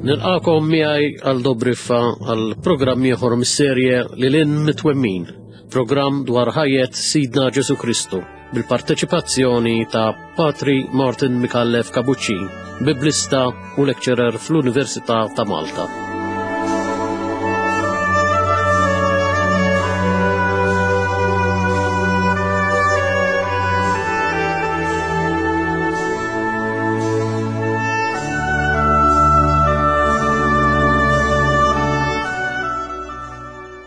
Nilqakom miegħi għal Dobriffa għal programm ieħor mis-serje Lil Hinn Mitwemmin, programm dwar ħajjet Sidna Ġesu Kristu bil-parteċipazzjoni ta' Patri Martin Micallef Capuccin, biblista u lecturer fl-Università ta' Malta.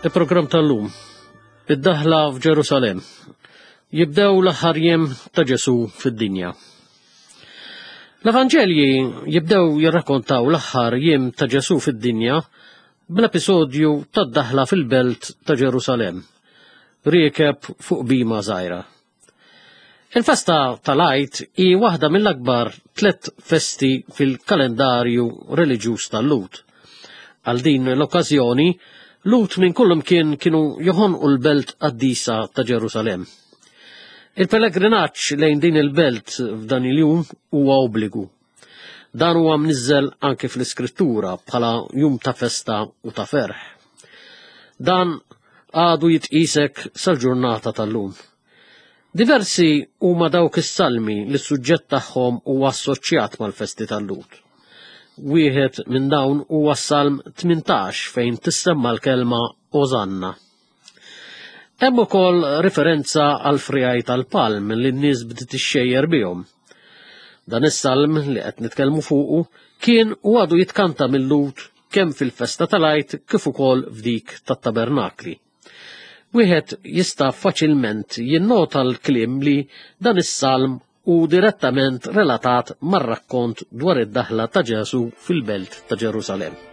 Il-programm tal-lum, id-daħla f'Ġerusalem, jibdew l-aħħar jiem ta' Ġesu fid-dinja. L-Evanġelji jibdew jirrakkontaw l-aħħar jiem ta' Ġesu fid-dinja bl-episodju tad-daħla fil-belt ta' Ġerusalemm, riekeb fuq bima żgħira. Il-festa tal-Għid hi waħda mill-akbar tlet festi fil-kalendarju reliġjuż tal-Lhud. Għal din l-okkażjoni, Lhud minn kullimkien kienu joħonqu l-belt qaddisa ta' Ġerusalemm. Il-pellegrinaġġ lejn din il-belt f'dan il-jum huwa obbligu. Dan huwa mniżżel anke fl-Iskrittura bħala jum ta' festa u ta' ferħ. Dan għadu jitqisek sal-ġurnata tal-lum. Diversi huma dawk is-salmi li s-suġġett tagħhom huwa assoċjat mal-festi tal-Lhud. Wieħed minn dawn huwa s-Salm 18 fejn tissemma l-kelma Osanna. Hemm ukoll riferenza għal frijaj tal-palm li n-nies bdiet ixxejjer bihom. Dan is-salm li qed nitkellmu fuqu kien u għadu jitkanta mill-Lhud kemm fil-festa tal-Għid kif ukoll f'dik tat-tabernakli. Wieħed jista' faċilment jinnota l-kliem li dan is-salm hu direttament relatat mar-rakkont dwar id-daħla ta' Ġesù fil-belt ta' Ġerusalemm.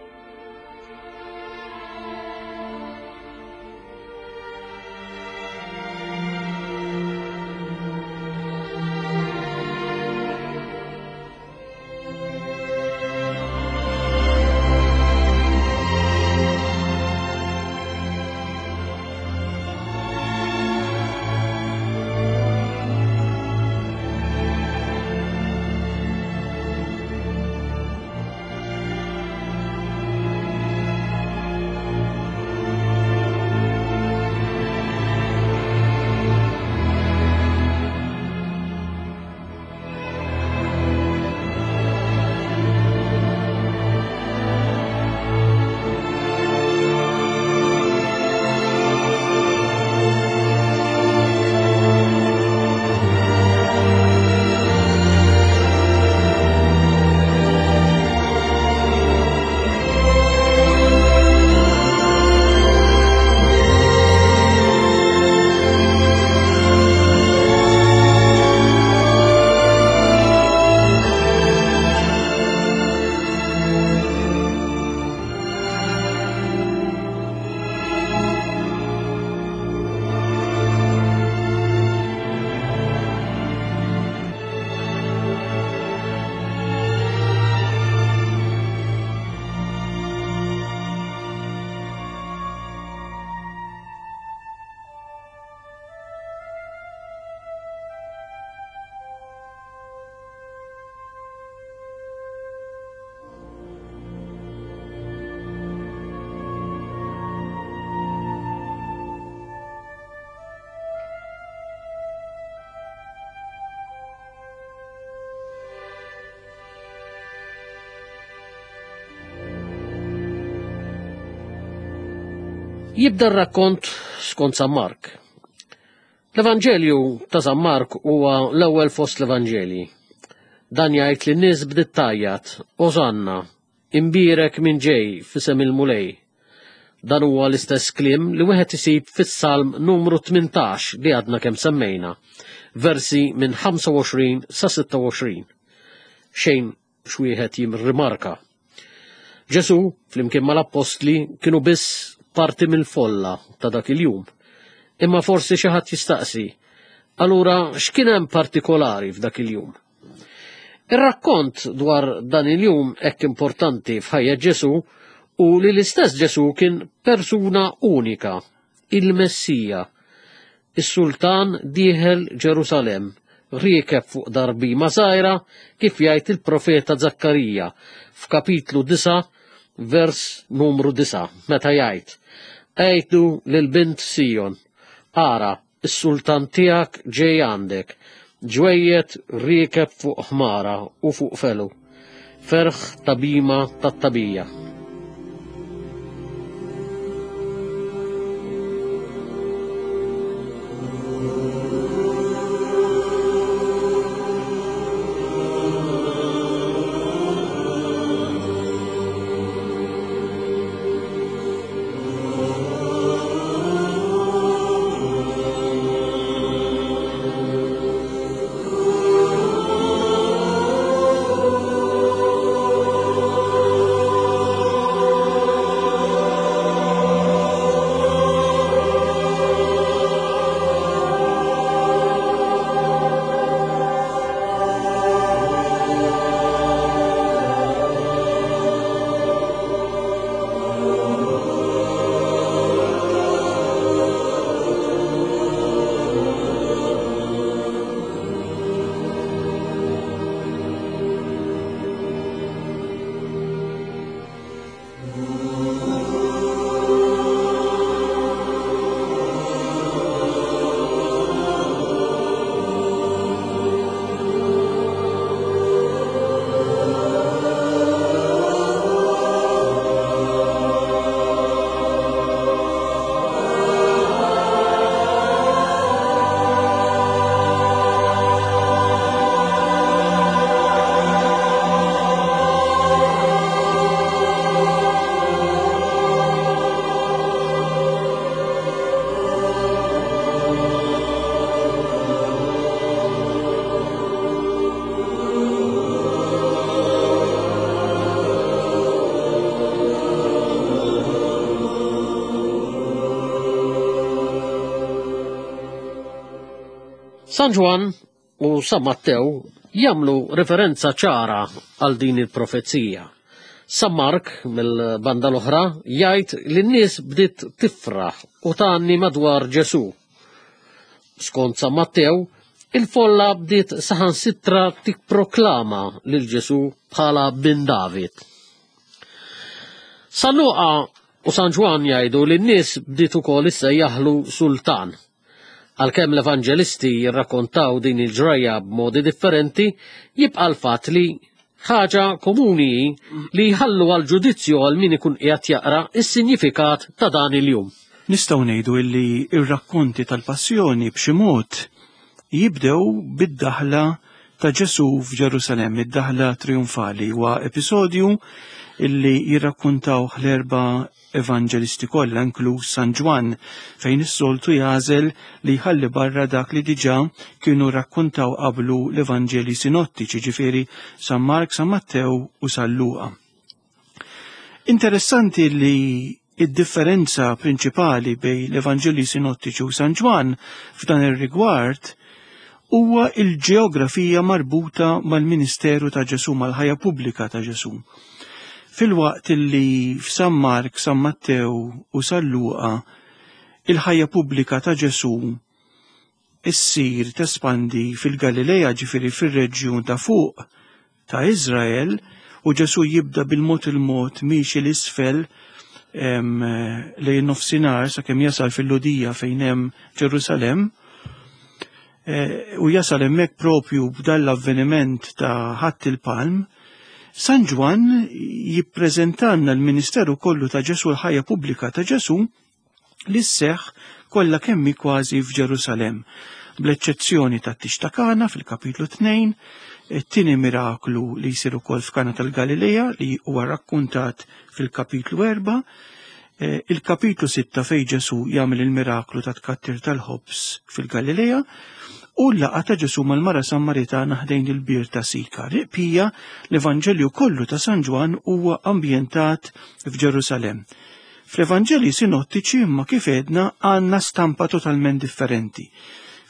Jibda r-rakkont skont San Mark. L-Evanġelju ta' San Mark huwa l-ewwel fost l-Evanġelji. Dan jgħid li n-nies bdiet tgħajjat, Osanna, imbierek min ġej f'isem il-Mulej. Dan huwa l-istess kliem li wieħed isib fis-Salm numru 18 li għadna kemm semmejna, versi minn 25 sa 26. Xejn x'wieħed jirrimarka. Ġesù, flimkien mal-appostli, kienu biss parti mill-folla ta' dak il-jum. Imma forsi xi ħadd jistaqsi, allura x'kien hemm partikolari f'dak il-jum? Ir-rakkont dwar dan il-jum hekk importanti f'ħajja Ġesù u li l-istess Ġesù kien persuna unika, il-Messija, is-sultan dieħel Ġerusalemm. riekeb fuq darbima żgħira kif jgħid il-profeta Zakkarija f'kapitlu 9 vers numru 9 meta jgħid Għidu lil bint Sijon, ara, is-sultan tiegħek ġej għandek, ġwejjed riekeb fuq ħmara u fuq felu, ferħ ta' bhima tat-tagħbija. San Ġwann u San Mattew jagħmlu referenza ċara għal din il-profezija. San Mark mill-banda l-oħra jgħid li n-nies bdiet tifraħ u tgħanni madwar Ġesù. Skont San Mattew, il-folla bdiet saħansitra tipproklama lil Ġesù bħala bin David. San Luqa u San Ġwann jgħidu li n-nies bdiet ukoll issejjaħlu sultan. Għalkemm l-Evanġelisti jirrakkontaw din il-ġrajja b'modi differenti, jibqa' l-fatt li ħaġa komuni hi li jħallu għal ġudizzju għal min ikun qiegħed jaqra s-sinjifikat ta' dan il-jum. Nistgħu ngħidu illi r-rakkonti tal-Passjoni b'xi mod jibdew bid-daħla ta' Ġesù f'Ġerusalemm, id-daħla trionfali huwa episodju illi jirrakkuntawh l-erba' evanġelisti kollha inkluż San Ġwann fejn is-soltu jagħżel li jħalli barra dak li diġà kienu rrakkuntaw qablu l-Evanġelji sinottiċi, ġifieri San Mark, San Mattew u San Luqa. Interessanti li id-differenza prinċipali bejn l-Evanġelji sinottiċi u San Ġwann f'dan ir-rigward huwa il-ġeografija marbuta mal-ministeru ta' Ġesù, mal-ħajja pubblika ta' Ġesù. Filwaqt li f'San Mark, San Mattew u San Luqa il-ħajja pubblika ta' Ġesù issir tespandi fil-Galilea ġifieri fir-reġjun ta' fuq ta' Iżrael u Ġesù jibda bil-mod il-mod miexi l-isfel lejn nofsinhar sakemm jasal fil-Lhudija fejn hemm Ġerusalemm eh, u jasal hemmhekk propju b'dan l-avveniment ta' ħadd il-palm, San Ġwann jippreżentanna l-ministeru kollu ta' Ġesù l-ħajja pubblika ta' Ġesù li sseħħ kollha kemm hi kważi f'Ġerusalemm, bl-eċċezzjoni tat-tix ta' Kana fil-kapitlu 2, it-tieni miraklu li jsir ukoll f'Kana tal-Galilea li huwa rakkuntat fil-kapitlu 4, eh, il-kapitlu 6 fej Ġesu jagħmel il-miraklu ta' tkattir tal-ħobż fil-Galilea u l-laqgħa ta' Ġesu mal-mara Sammaritana ħdejn il-bir ta' Sika. Riqpija l-Evanġelju kollu ta' San Ġwann huwa ambjentat f'Ġerusalemm. Fl-Evanġelji sinottiċi imma kif għedna għandna stampa totalment differenti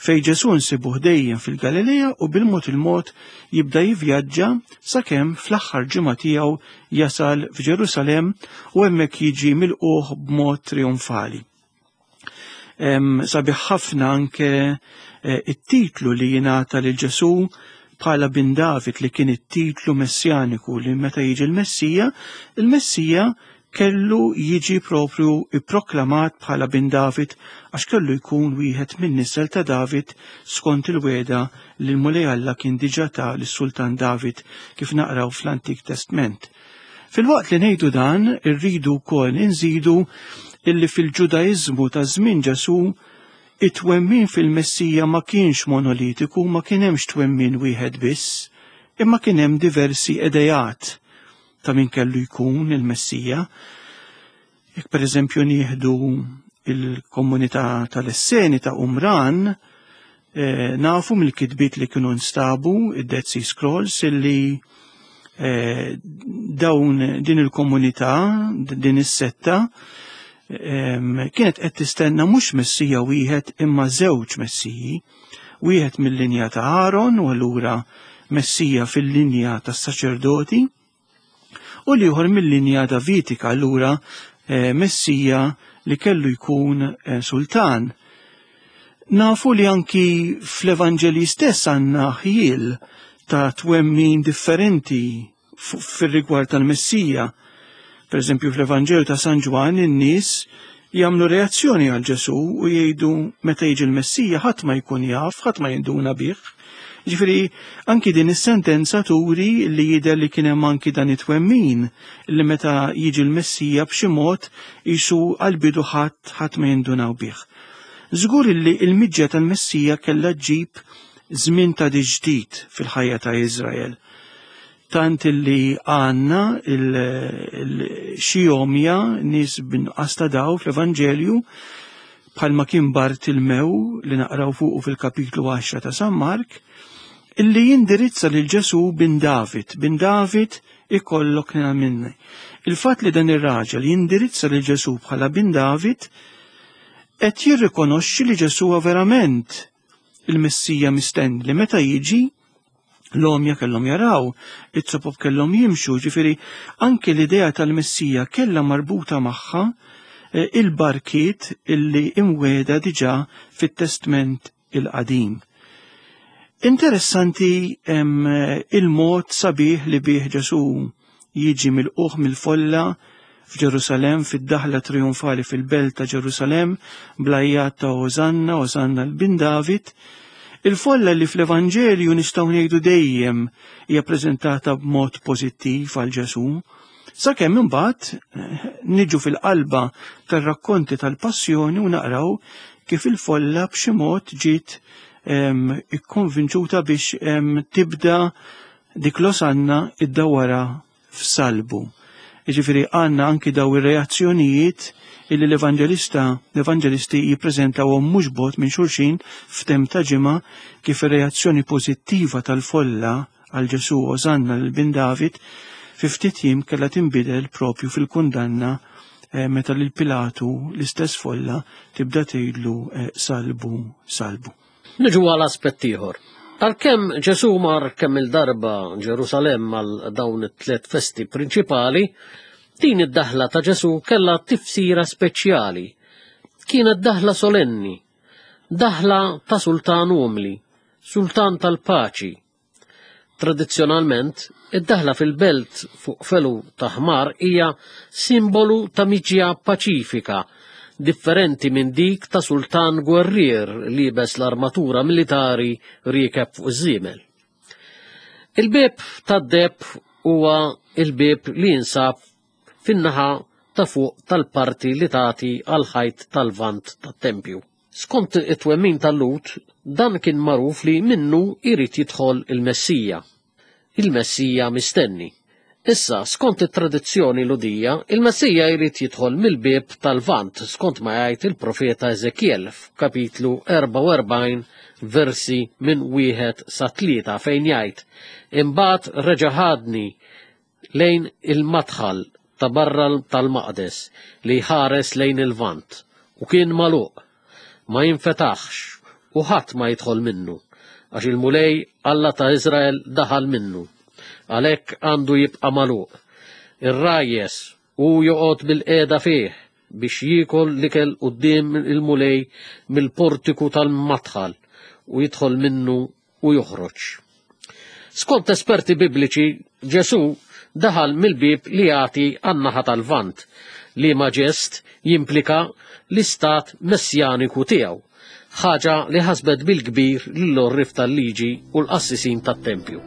fej Ġesu nsibuh dejjem fil-Galilea u bil-mod il-mod jibda jivvjaġġa sakemm fl-aħħar ġimgħa tiegħu jasal f'Ġerusalemm u hemmhekk jiġi milqugħ b'mod trionfali. Sabiħ ħafna anke eh, it-titlu li jingħata lil Ġesù bħala bin David li kien it-titlu messjaniku li meta jiġi l-Messija, il-Messija kellu jiġi propju ipproklamat bħala bin David għax kellu jkun wieħed minn nisel ta' David skont il-weda li l-Mulej Alla kien diġà ta lis-Sultan David kif naqraw fl-Antik Testment. Filwaqt li ngħidu dan, irridu wkoll inżidu illi fil-Ġudaiżmu ta' żmien Ġesù it-twemmin fil-Messija ma kienx monolitiku, ma kien hemmx twemmin wieħed biss, imma kien hemm diversi idejat ta' min kellu jkun il-Messija. Jekk pereżempju nieħdu il-komunità tal-Esseni ta' Umran, eh, nafu mill-kitbiet li kienu nstabu, id-Dead Sea Scrolls, illi eh, dawn din il-komunità, din is-setta, kienet qed tistenna mhux messija wieħed imma żewġ messiji, wieħed mill-linja ta' Aaron u allura messija fil-linja tas-saċerdoti, u l-ieħor mill-linja Davidika allura eh, Messija li kellu jkun eh, sultan. Nafu li anki fl-Evanġeli stess għandna ħjiel ta' twemmin differenti fir-rigward tal-Messija. Per eżempju, fl-Evanġelju ta' San Ġwann in-nies jagħmlu reazzjoni għal Ġesù u jgħidu meta jiġi l-Messija ħadd ma jkun jaf, ħadd ma jinduna bih. Ġifieri anki din is-sentenza turi li jidher li kien hemm anki dan it-twemmin li meta jiġi l-Messija b'xi mod isu għall-bidu ħadd ħadd ma jindunaw bih. Żgur li l-miġja tal-Messija kellha ġġib żmien ta' ġdid fil-ħajja ta' Iżrael. Tant illi għandna xi għomja nies b'inqas ta' daw fl-Evanġelju bħalma kien Bartilmew li naqraw fuqu fil-kapitlu 10 ta' San Mark, illi jindirizza lil Ġesù bin David, bin David ikollok nina minni. Il-fatt li dan ir-raġel jindirizza lil Ġesù bħala bin David qed jirrikonoxxi li Ġesù verament il-Messija mistenni li meta jiġi l-omja kellhom jaraw, it-sopop kellhom jimxu, ġifieri anke l-idea tal-Messija kellha marbuta magħha eh, il-barkiet illi imweda diġà fit-Testment il-Qadim. Interessanti il-mod sabiħ li bih Ġesù jiġi milqugħ mill-folla f'Ġerusalemm fid-daħla trionfali fil-belt ta' Ġerusalemm bl-għajjat ta' Osanna, Osanna l-bin David. Il-folla li fl-Evanġelju nistgħu ngħidu dejjem hija preżentata b'mod pożittiv għal Ġesù, sakemm imbagħad eh, niġu fil-qalba tar-rakkonti tal-passjoni u naqraw kif il-folla b'xi mod ġiet ehm, ikkonvinċuta biex ehm, tibda Dik l-Osanna iddawwarha f'salbu. Jiġifieri għandna anki daw ir-reazzjonijiet illi l-evanġelista l-evanġelisti jippreżentawhom mhux bogħod minn xulxin f'temp ta' ġimgħa kif ir-reazzjoni pożittiva tal-folla għal Ġesù Osanna lil bin David fi ftit jiem kellha tinbidel propju fil-kundanna eh, meta lil Pilatu l-istess folla tibda tgħidlu eh, salbu salbu. Niġu għal aspett ieħor. Għalkemm Ġesù mar kemm il-darba Ġerusalemm għal dawn it-tliet festi prinċipali, din id-daħla ta' Ġesù kellha tifsira speċjali. Kienet daħla solenni, daħla ta' sultan umli, sultan tal-paċi, Tradizzjonalment, id-daħla fil-belt fuq felu ta' ħmar hija simbolu ta' miġja paċifika, differenti minn dik ta' sultan gwerrier liebes l-armatura militari riekeb fuq iż-żiemel. Il-bieb tad-deheb huwa il-bieb li jinsab fin-naħa ta' fuq tal-parti li tagħti għall-ħajt tal-Lvant tat-tempju. Skont it-twemmin tal-Lhud, dan kien magħruf li minnu jrid jidħol il-Messija, il-Messija mistenni. Issa, skont it-tradizzjoni Lhudija, il-Messija jrid jidħol mill-bieb tal-Lvant skont ma jgħid il-profeta Eżekjel f'kapitlu 44 versi minn wieħed sa tlieta fejn jgħid, Imbagħad reġa' ħadni lejn il-madħal ta' barra tal-maqdes li jħares lejn il-Lvant, u kien magħluq, ma jinfetaħx u ħadd ma jidħol minnu, għax il-Mulej Alla ta' Iżrael daħal minnu. Għalhekk għandu jibqa' magħluq. Ir-rajjes hu joqgħod bilqiegħda fih. biex jiekol l-ikel quddiem il-Mulej mill-portiku tal-madħal u jidħol minnu u joħroġ. Skont esperti bibliċi, Ġesù daħal mill-bieb li jagħti għan-naħa tal-Lvant, liema ġest jimplika l-istat messjaniku tiegħu, ħaġa li ħasbet bil-kbir lill-għorrief tal-liġi u l-qassisin tat-tempju.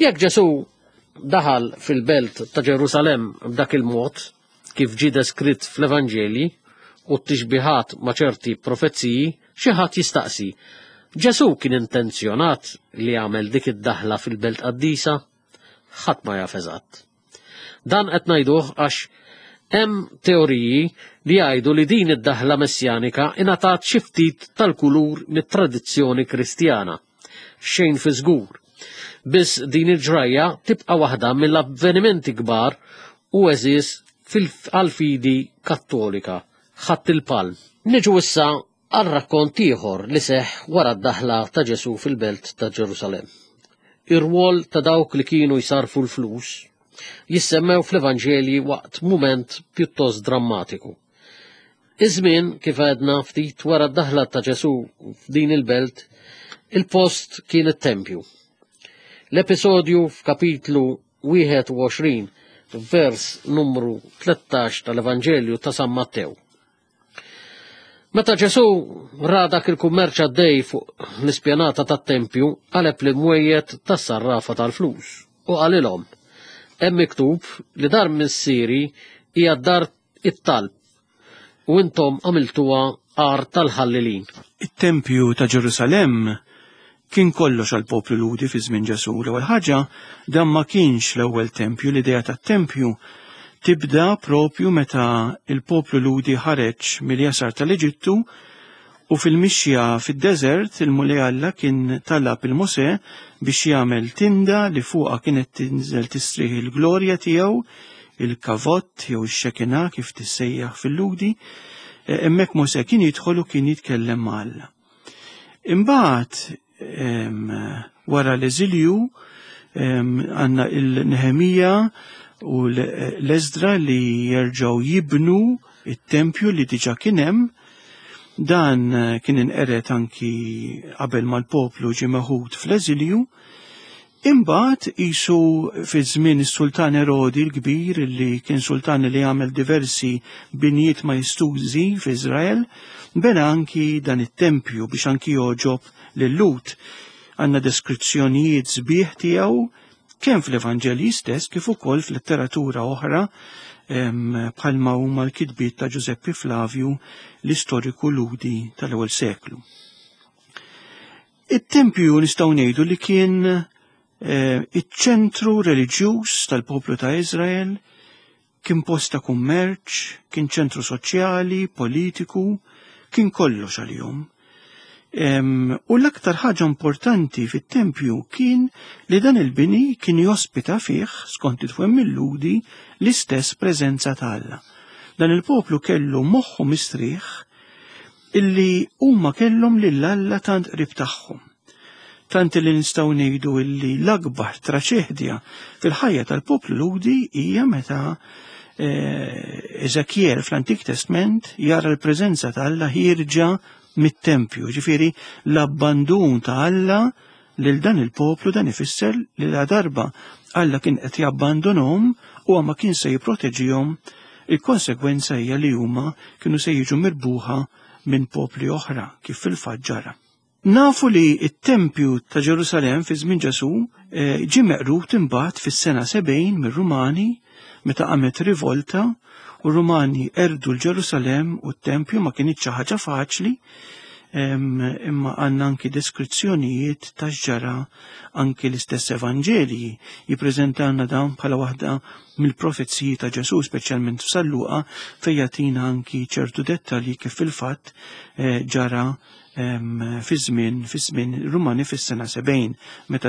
Jekk Ġesù daħal fil-belt ta' Ġerusalemm b'dak il-mod, kif ġie deskritt fl-Evanġelji u t-tixbihat ma' ċerti profeziji, xi ħadd jistaqsi, Ġesù kien intenzjonat li jagħmel dik id-daħla fil-belt qaddisa? Ħadd ma jaf eżatt. Dan qed ngħiduh għax hemm teoriji li jgħidu li din id-daħla messjanika ingħatat xi ftit tal-kulur mit-tradizzjoni Kristjana. Xejn fi żgur. Biss din il-ġrajja tibqa' waħda mill-avvenimenti kbar u għeżież għall-fidi Kattolika, Ħadd il-Palm. Niġu issa għal rakkont ieħor li seħħ wara d-daħla ta' Ġesù fil-belt ta' Ġerusalemm. Ir-rwol ta' dawk li kienu jsarrfu l-flus jissemmew fl-Evanġelji waqt mument pjuttost drammatiku. Iż-żmien, kif għedna ftit wara d-daħla ta' Ġesù f'din il-belt, il-post kien it-tempju. L-episodju f'kapitlu 21 vers numru 13 tal-Evanġelju ta' San Mattew. Meta Ġesù ra dak il-kummerċ għaddej fuq l-ispjanata tat-tempju, qaleb l-imwejjed tas-sarrafa tal-flus u qalilhom, Hemm miktub li dar missieri hija dar it-talb u intom għamiltuha għar tal-ħallelin. It-tempju ta' Ġerusalemm kien kollox għall-poplu Lhudi fi żmien Ġesù. L-ewwel ħaġa, dan ma kienx l-ewwel tempju, l-idea tat-tempju tibda propju meta il-poplu Lhudi ħareġ mill-jasar tal-Eġittu u fil-mixja fid-deżert il-Mulej Alla kien talab il Mosè biex jagħmel tinda li fuqha kienet tinżel tistrieħ il-glorja tiegħu, il-kavott jew ix-xekina kif tissejjaħ fil-Lhudi. E, hemmhekk Mosè kien jidħol u kien jitkellem ma' Alla. Imbagħad wara l-eżilju għandna il-Nehemija u l-Eżdra li jerġgħu jibnu it-tempju li diġà kien hemm. Dan kien inqered anki qabel mal-poplu ġie meħud fl-eżilju. Imbagħad qisu fi żmien is-Sultan Erodi l-Kbir li kien sultan li għamel diversi binjiet majestużi f'Iżrael, bena anki dan it-tempju biex anki jogħġob lil-Lhud. Għandna deskrizzjonijiet sbieħ tiegħu kemm fl-Evanġelji stess kif ukoll f'letteratura oħra bħalma huma l-kitbiet ta' Ġużeppi Flavju l-istoriku Lhudi tal-ewwel seklu. It-tempju nistgħu ngħidu li kien eh, iċ-ċentru reliġjuż tal-poplu ta' Iżrael, kien post ta' kummerċ, kien ċentru soċjali, politiku, kien kollox għalihom. U l-aktar ħaġa importanti fit-tempju kien li dan il-bini kien jospita fih, skont it-twemmin Lhudi, l-istess preżenza ta' Alla. Dan il-poplu kellu moħħu mistrieħ illi huma kellhom lil Alla tant qrib tagħhom. Tant li nistgħu ngħidu illi l-akbar traċedja fil-ħajja tal-poplu Lhudi hija meta Ezekiel fl-Antik Testment jara l-preżenza ta' Alla ħierġa mit-tempju, ġifieri l-abbandun ta' Alla lil dan il-poplu. Dan ifisser li la darba Alla kien qed jabbandunhom u ma kien se jipproteġihom, il-konsegwenza hija li huma kienu se jiġu mirbuħa minn popli oħra, kif fil-fatt ġara. Nafu li t-tempju ta' Ġerusalemm fi żmien Ġesù ġie meqrud imbagħad fis-sena 70 mir-Rumani meta qamet rivolta u r-Rumani erdu l-Ġerusalemm u t-tempju. Ma kinitx xi ħaġa faċli, imma għandna anki deskrizzjonijiet ta' x'ġara. Anki l-istess Evanġelji jippreżentawna dawn bħala waħda mill-profeziji ta' Ġesù, speċjalment f'San Luqa, fejn jagħtina anki ċertu dettalji kif fil-fatt ġara fi żmien Rumani fis-sena 70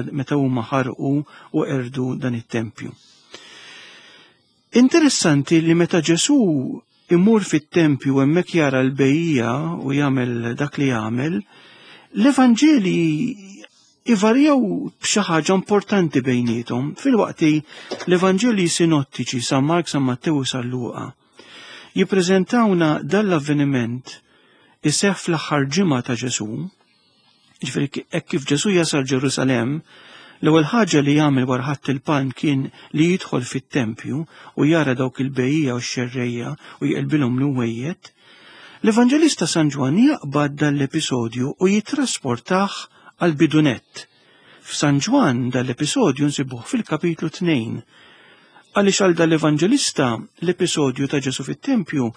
meta huma ħarqu u erdu dan it-tempju. Interessanti li meta Ġesù imur fit-tempju hemmhekk jara l-bejja u jagħmel dak li jagħmel, l-Evanġeli ivarjaw b'xi ħaġa importanti bejniethom. Filwaqt l-Evanġeli sinottiċi San Mark, San Mattew u San Luqa jippreżentawna dan l-avveniment iseħħ fl-aħħar ġimgħa ta' Ġesù, ġifieri hekk kif Ġesù jasal Ġerusalemm, l-ewwel ħaġa li jagħmel wara Ħadd il-Palm kien li jidħol fit-tempju u jara dawk il-bejja u x-xerrejja u jqelbilhom l-imwejjed. L-Evanġelista San Ġwann jaqbad dan l-episodju u jitrasportah għal bidunett. F'San Ġwann dan l-episodju nsibuh fil-kapitlu 2. Għaliex għal dal-Evanġelista l-episodju ta' Ġesù fit-tempju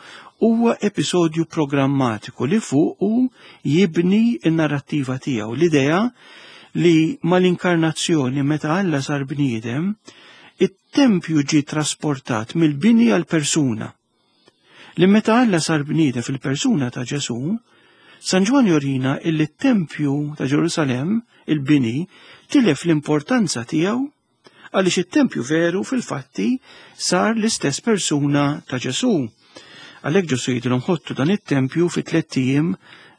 huwa episodju programmatiku li fuqu jibni n-narrattiva tiegħu, l-idea li mal-inkarnazzjoni meta Alla sar bniedem, it-tempju ġie trasportat mill-bini għal persuna. Li meta Alla sar bniedem fil-persuna ta' Ġesù, San Ġwann jorina illi t-tempju ta' Ġerusalemm, il-bini, tilef l-importanza tiegħu għaliex it-tempju veru fil-fatti sar l-istess persuna ta' Ġesù. Għalhekk Ġesù jgħidilhom ħottu dan it-tempju fi 3 ijiem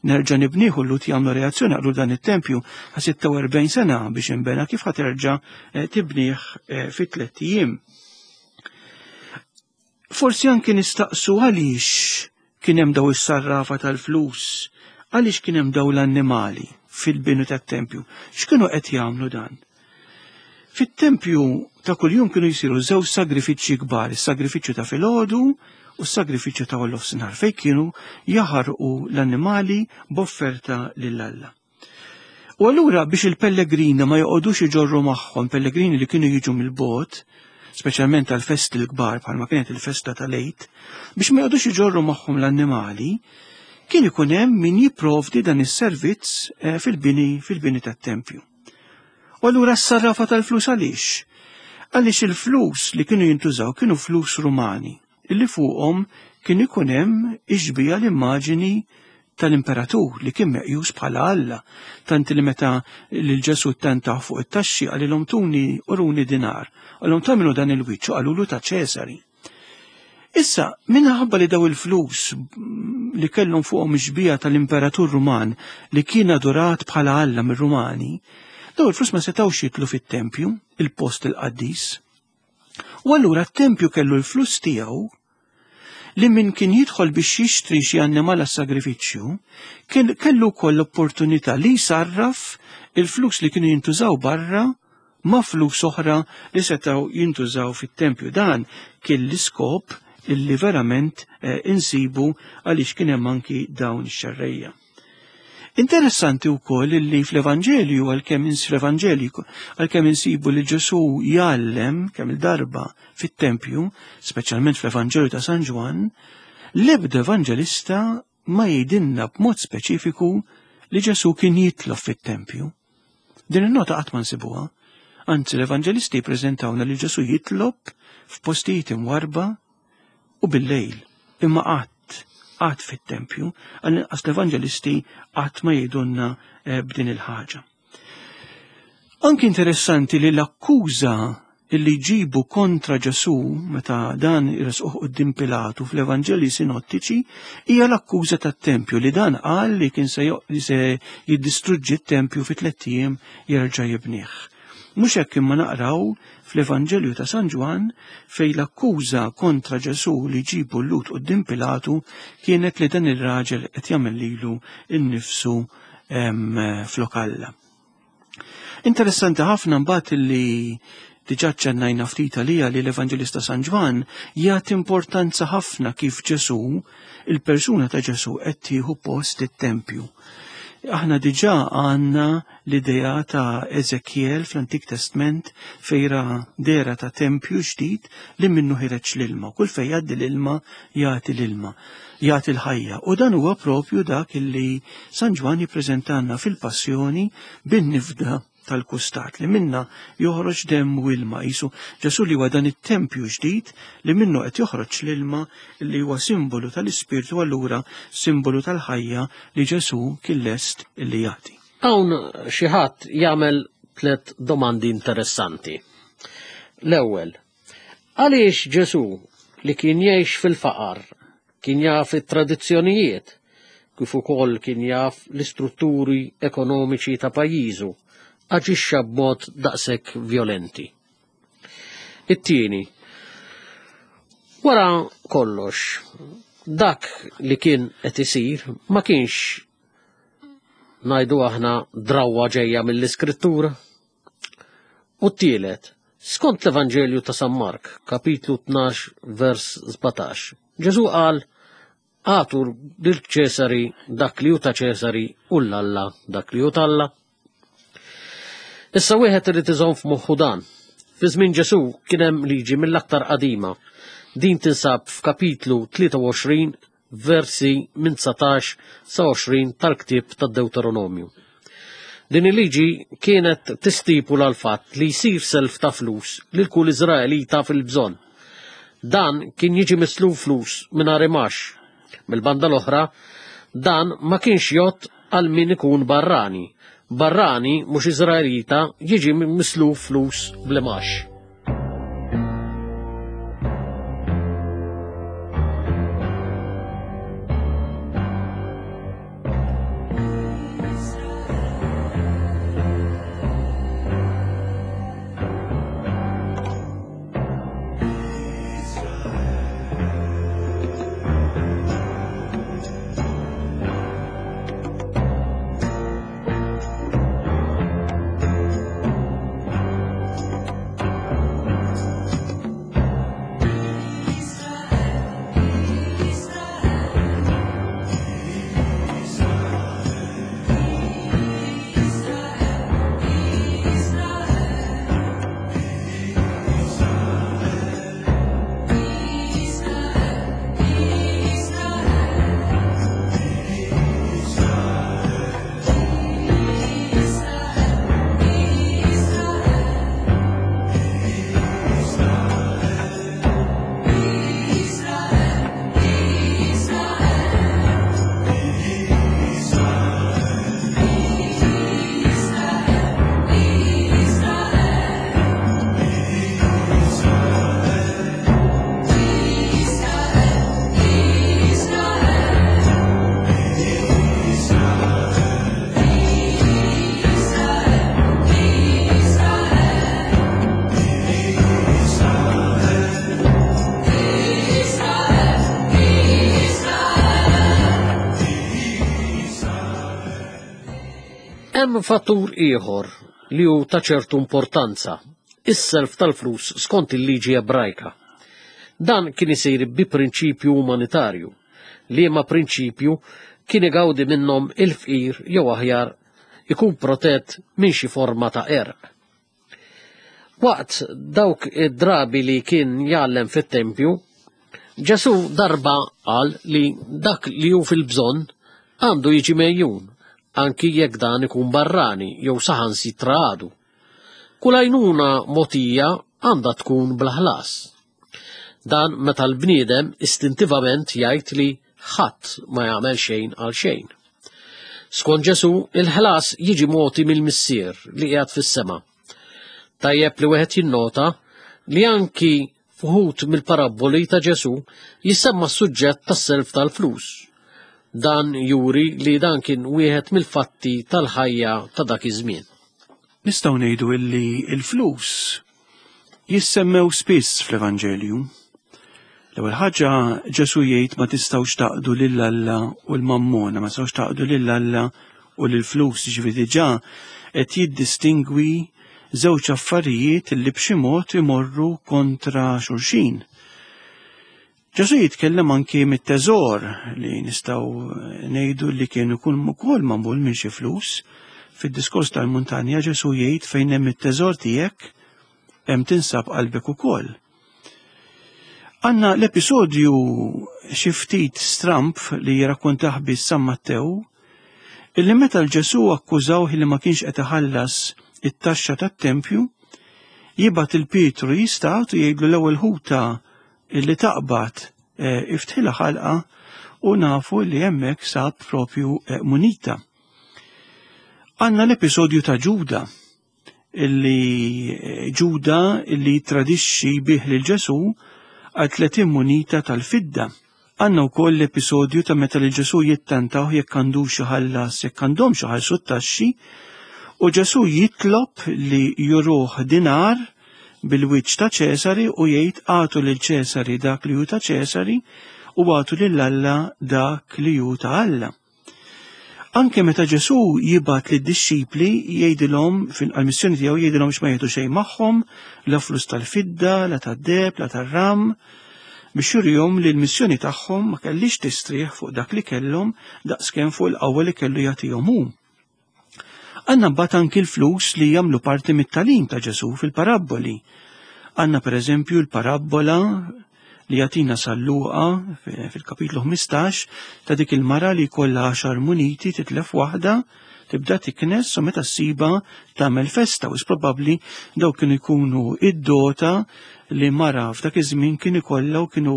nerġa' nibniħu. L-Lhud jagħmlu reazzjoni, qalu dan it-tempju ħa 46 sena biex inbena, kif ħa terġa' tibnih fi 3 ijiem. Forsi anki nistaqsu għaliex kien hemm daw is-sarrafa tal-flus, għaliex kien hemm daw l-annimali fil-binu tat-tempju, x'kienu qed jagħmlu dan? Fit-tempju ta' kuljum kienu jsiru żewġ sagrifiċċji kbar, is-sagrifiċċju ta' filgħodu u s-sagrifiċċju ta' nofsinhar, fejn kienu jaħarqu l-annimali b'offerta lil Alla. U allura biex il-pellegrini ma joqogħdux iġorru magħhom, pellegrini li kienu jiġu mill-bogħod, speċjalment tal-festi l-kbar bħalma kienet il-festa tal-Għid, biex ma joqogħdux iġorru magħhom l-annimali, kien ikun hemm min jipprovdi dan is-servizz fil-bini tat-tempju. U allura s-sarrafa tal-flus għaliex? Għaliex il-flus li kienu jintużaw kienu flus Rumani, illi fuqhom kien ikun hemm ixbija l-immaġini tal-imperatur li kien meqjus bħala Alla, tant li meta lil Ġesù ttentaw fuq it-taxxi qalilhom tuni uruni dinar, qalhom tagħmlu dan il-wiċċ u qalulu ta' Ċesari. Issa, minħabba li daw il-flus li kellhom fuqhom ixbija tal-imperatur Ruman li kien adorat bħala Alla mir-Rumani, daw il-flus ma setgħux jitlu fit-tempju, il-post il-qaddis. U allura t-tempju kellu l-flus tiegħu li min kien jidħol biex jixtri xi annimal għas-sagrifiċċju, kien kellu wkoll l-opportunità li jsarraf il-flus li kienu jintużaw barra ma' flus oħra li setgħu jintużaw fit-tempju. Dan kien l-iskop illi verament insibu għaliex kien hemm anki dawn ix-xerrejja. Interessanti wkoll illi fl-Evanġelju, għalkemm fl-Evanġelju, għalkemm insibu li Ġesù jgħallem kemm il-darba fit-tempju, speċjalment fl-Evanġelju ta' San Ġwann, l-ebda evanġelista ma jgħidilna b'mod speċifiku li Ġesù kien jitlob fit-tempju. Din in-nota qatt ma nsibuha. Anzi, l-evanġelisti jippreżentawna li Ġesù jitlob f'postijiet imwarba u bil-lejl, imma qatt. qatt fit-tempju, għall-inqas l-evanġelisti qatt ma jgħidulna eh, b'din il-ħaġa. Anki interessanti li l-akkuża li jġibu kontra Ġesù meta dan jresquh quddiem Pilatu fl-Evanġelji sinottiċi hija l-akkuża tat-tempju li dan qal li kien se jiddistruġġi t-tempju fi tlett ijiem jerġa' jibnih. Mhux hekk imma naqraw fl-Evanġelju ta' San Ġwann fejn l-akkuża kontra Ġesù li jġibu l-Lhud quddiem Pilatu kienet li dan ir-raġel qed jagħmel lilu nnifsu flok Alla. Interessanti ħafna mbagħad li diġà ċennajna ftit għalija li l-Evanġelista San Ġwann jagħti importanza ħafna kif Ġesù, il-persuna ta' Ġesù qed tieħu post it-tempju. Aħna diġà għandna l-idea ta' Ezekiel fl-Antik Testment fejra dera ta' tempju ġdid li minnu ħireġ l-ilma. Kull fejn jgħaddi l-ilma jagħti l-ilma. jagħti l-ħajja. U dan huwa propju dak illi San Ġwann jippreżentanna fil-Passjoni bin-nifda tal-kustat li minna joħroġ demm u ilma qisu Ġesù li huwa dan it-tempju ġdid li minnu qed joħroġ l-ilma li huwa simbolu tal-Ispirtu allura simbolu tal-ħajja li Ġesù kien lest li jagħti. Hawn xi ħadd jagħmel tliet domandi interessanti. L-ewwel, Għaliex Ġesù, li kien jgħix fil-faqar, kien jaf it-tradizzjonijiet, kif ukoll kien jaf l-istrutturi ekonomiċi ta' pajjiżu, aġixxa b'mod daqshekk vjolenti? It-tieni, wara kollox, dak li kien qed isir ma kienx ngħidu aħna drawwa ġejja mill-Iskrittura? U t-tielet, skont l-Evanġelju ta' San Mark, kapitlu 12, vers 17, Ġesù qal, Agħtu lil Ċesari dak li hu ta' Ċesari u 'l Alla dak li hu t'Alla. Issa wieħed irid iżomm f'moħħu dan. Fi żmien Ġesù kien hemm liġi mill-aktar qadima. Din tinsab f'kapitlu 23 versi minn 19 sa 20 tal-ktieb tad-Dewteronomju. Din il-liġi kienet tistipula l-fatt li jsir self ta' flus lil kull Iżraelita fil-bżonn. Dan kien jiġi misluf flus mingħajr imax. Mill-banda l-oħra, dan ma kienx jgħodd għal min ikun barrani. Barrani mhux Iżraelita jiġi misluf flus bl-imax. Hemm fattur ieħor li hu ta' ċertu importanza, is-self tal-flus skont il-liġi Ebrajka. Dan kien isir bi prinċipju umanitarju, liema prinċipju kien igawdi minnhom il-fqir jew aħjar ikun protett minn xi forma ta' qerq. Waqt dawk id-drabi li kien jgħallem fit-tempju, Ġesù darba qal li dak li hu fil-bżonn għandu jiġi megħjun, anki jekk dan ikun barrani jew saħansitra għadu. Kull għajnuna mogħtija għandha tkun bla ħlas. Dan meta l-bniedem istintivament jgħid li Ħadd ma jagħmel xejn għal xejn. Skont Ġesù, il-ħlas jiġi mogħti mill-Missier li qiegħed fis-sema. Tajjeb li wieħed jinnota li anki f'uħud mill-parabboli ta' Ġesù jissemma s-suġġett tas-self tal-flus. Dan juri li dan kien wieħed mill-fatti tal-ħajja ta' dak iż-żmien. Nistgħu ngħidu illi l-flus jissemmew spiss fl-Evanġelju. L-ewwel ħaġa Ġesù jgħid ma tistgħux taqdu lil Alla u l-mammona, ma tistgħux taqdu lil Alla u lill-flus, ġifieri diġà qed jiddistingwi żewġ affarijiet li b'xi mod imorru kontra xulxin. Ġesù jitkellem anki mit-teżor li nistgħu ngħidu li kien ikun ukoll magħmul minn xi flus. Fid-diskors tal-muntanja Ġesù jgħid fejn hemm it-teżor tiegħek hemm tinsab qalbek ukoll. Għanna l-episodju xi ftit stramp li jirrakkontah biss San Mattew, illi meta l-Ġesù akkużawh li ma kienx qed iħallas it-taxxa tat-tempju, jibgħat il-Pietru jistat u jgħidlu l-ewwel ħuta illi taqbad eh, iftħilha ħalqa u nafu li hemmhekk sab propju eh, munita. Għanna l-episodju ta' Ġuda illi eh, Ġuda illi tradixxi bih lil Ġesù għal 30 munita tal-fidda. Għandna wkoll l-episodju ta' meta lil Ġesù jittantaw jekk għandux iħallas jekk għandhomx iħallsu t-taxxi u Ġesù jitlob li juruh dinar bil-wiċċ ta' Ċesari u jgħid agħtu lil Ċesari dak li hu ta' Ċesari u agħtu lil Alla dak li hu ta' Alla. Anke meta Ġesù jibgħat lid-dixxipli jgħidilhom fil-missjoni tiegħu jgħidilhom x'ma jieħdu xejn magħhom, la flus tal-fidda, la tad-deheb, la tar-ram, biex jurihom li l-missjoni tagħhom ma kellix tistrieħ fuq dak li kellhom daqskemm fuq il-qawwa li kellu jagħtihom hu. Għandna mbagħad anki l-flus li jagħmlu parti mit-tagħlim ta' Ġesù fil-parabboli. Għandna pereżempju l-parabbola li jagħtina San Luqa fil-kapitlu 15 ta' dik il-mara li jkollha għaxar muniti titlef waħda tibda tiknes u meta ssiba tagħmel festa u probabbli dawk kienu jkunu id-dota li mara f'dak iż-żmien kien ikollha u kienu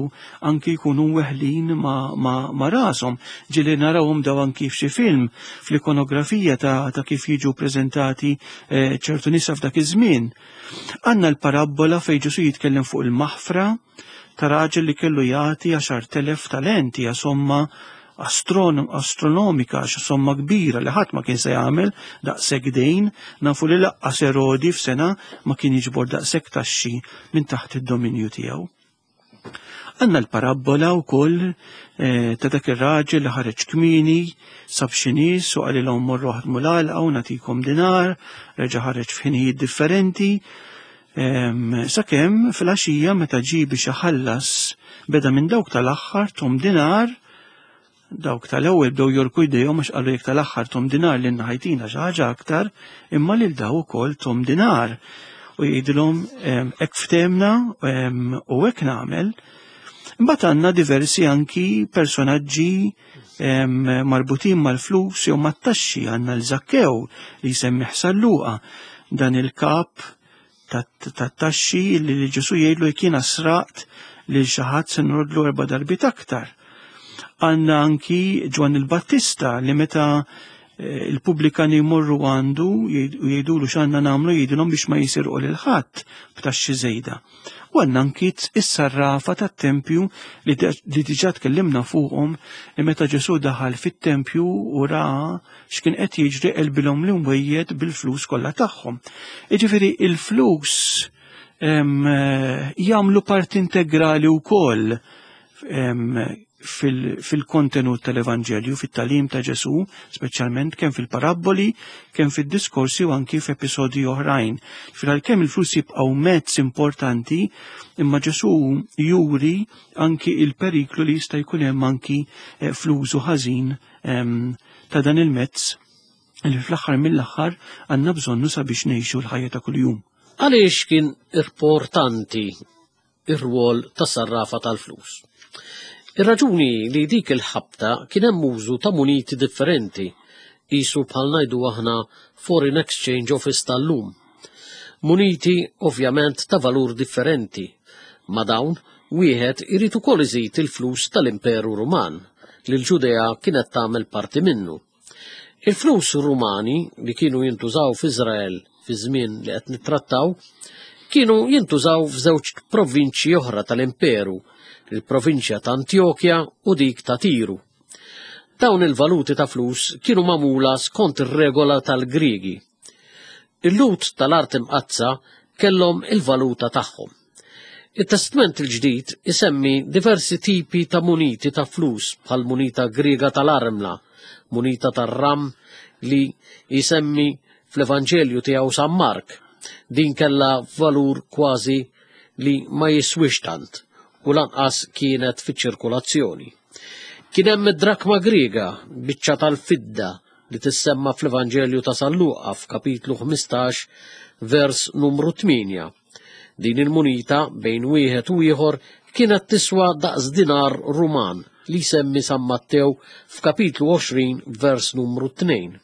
anki jkunu weħlin ma, ma, ma rashom. Ġieli narawhom daw anki f'xi film fl-ikonografija ta', ta kif jiġu preżentati eh, ċertu nisa f'dak iż-żmien. Għandna l-parabbola fejn Ġesu jitkellem fuq il-maħfra ta' raġel li kellu jagħti 10,000 talenti hija somma astronomika, xi somma kbira li ħadd ma kien se jagħmel daqshekk dejn, nafu li laqqas Erodi f'sena ma kien jiġbor daqshekk taxxi minn taħt id-dominju tiegħu. Għandna l-parabbola wkoll eh, ta' dak ir-raġel li ħareġ kmieni, sab xi nies u qalilhom morru ħadmu l-għalqa u nagħtikom dinar, reġa' ħareġ f'ħinijiet differenti. Sakemm fil-għaxija meta ġie biex iħallas beda minn dawk tal-aħħar tom dinar, dawk tal-ewwel bdew jorku jdejhom għax qalu jekk tal-aħħar tom dinar lil ħajtina xi ħaġa aktar, imma lil daw ukoll tom dinar. U jgħidilhom hekk ftehmna u hekk nagħmel. Imbagħad għandna diversi anki personaġġi marbutin mal-flus jew mat-taxxi għandna l-Zakkew li jsemmi San Luqa dan il-kap tat-taxxi li Ġesu jgħidlu jekk jiena sraqt lil xi ħadd se nrodlu erba' darbiet aktar. Għandna anki Ġwanni l-Battista li meta eh, il-pubblikani jmorru għandu u jgħidulu x'għandna nagħmlu jgħidilhom biex ma jisirqu lil ħadd b'taxxi żejda. U għandna anki is-sarrafa tat-tempju li diġà tkellimna fuqhom li meta Ġesù daħal fit-tempju u ra x'kien qed jiġri qelbilhom l-imwejjed bil-flus kollha tagħhom. Jiġifieri il-flus jagħmlu parti integrali wkoll fil-kontenut tal-Evanġelju, fit-tagħlim ta' Ġesù, speċjalment kemm fil-parabboli, kemm fid-diskorsi u anki f'episodji oħrajn. Fil kemm il-flus jibqgħu mezz importanti, imma Ġesù juri anki il-periklu li jista' jkun hemm anki eh, fl-użu ħażin ehm, ta' dan il-mezz li fl-aħħar mill-aħħar għandna bżonnu sabiex ngħixu l-ħajja ta' kuljum. Għaliex kien importanti ir-rwol ta' sarrafa tal-flus. Ir-raġuni li dik il-ħabta kien hemm użu ta' muniti differenti, qisu bħal ngħidu aħna Foreign Exchange Office tal-lum. Muniti ovvjament ta' valur differenti. Ma' dawn, wieħed irid ukoll iżid il-flus tal-Imperu Ruman, li l-Ġudea kienet tagħmel parti minnu. Il-flus Rumani li kienu jintużaw f'Iżrael fi żmien li qed nittrattaw kienu jintużaw f'żewġ provinċji oħra tal-imperu, il-provinċja ta' Antjokja u dik ta' Tiru. Dawn il-valuti ta' flus kienu magħmula skont ir-regola tal-Griegi. Il-Lhud tal-Art Imqaddsa kellhom il-valuta tagħhom. It-Testment il-Ġdid isemmi diversi tipi ta' muniti ta' flus bħal munita Griega tal-armla, munita tar-ram li jsemmi fl-Evanġelju tiegħu San Mark. Din kellha valur kważi li ma jiswix tant u lanqas kienet fiċ-ċirkulazzjoni. Kien hemm id-drakma Griega, biċċa tal-fidda li tissemma fl-Evanġelju ta' San Luqa f'kapitlu 15 vers numru 8. Din il-munita bejn wieħed u ieħor kienet tiswa daqs dinar Ruman li jsemmi San Mattew f'kapitlu 20 vers numru 2.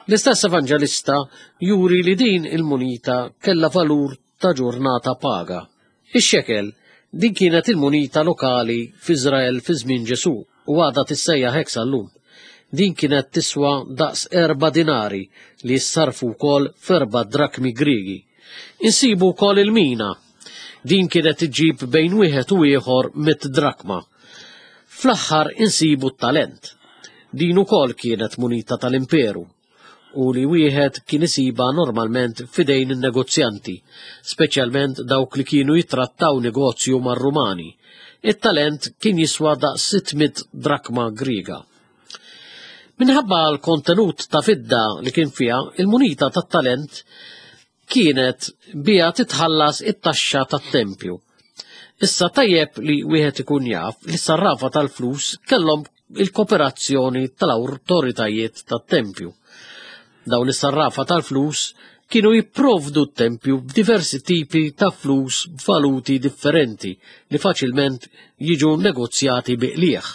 L-istess evanġelista juri li din il-munita kellha valur ta' ġurnata paga. Ix-xekel, din kienet il-munita lokali f'Iżrael fi żmien Ġesù u għadha tissejjaħ hekk sal-lum. Din kienet tiswa daqs erba' dinari li jissarfu wkoll f'erba' drakmi Griegi. Insibu wkoll il-mina. Din kienet iġġib bejn wieħed u ieħor mit drakma. Fl-aħħar insibu t-talent. Din ukoll kienet munita tal-imperu u li wieħed kien isibha normalment f'idejn in-negozjanti, speċjalment dawk li kienu jittrattaw negozju mar-Rumani. It-talent kien jiswa daqs 600 drakma Griega. Minħabba l-kontenut ta' fidda li kien fiha, il-munita tat-talent kienet biha titħallas it-taxxa tat-tempju. Issa tajjeb li wieħed ikun jaf li s-sarrafa tal-flus kellhom il-kooperazzjoni tal-awtoritajiet tat-tempju. Dawn is-sarrafa tal-flus kienu jipprovdu t-tempju b'diversi tipi ta' flus b'valuti differenti li faċilment jiġu negozjati bi qligħ.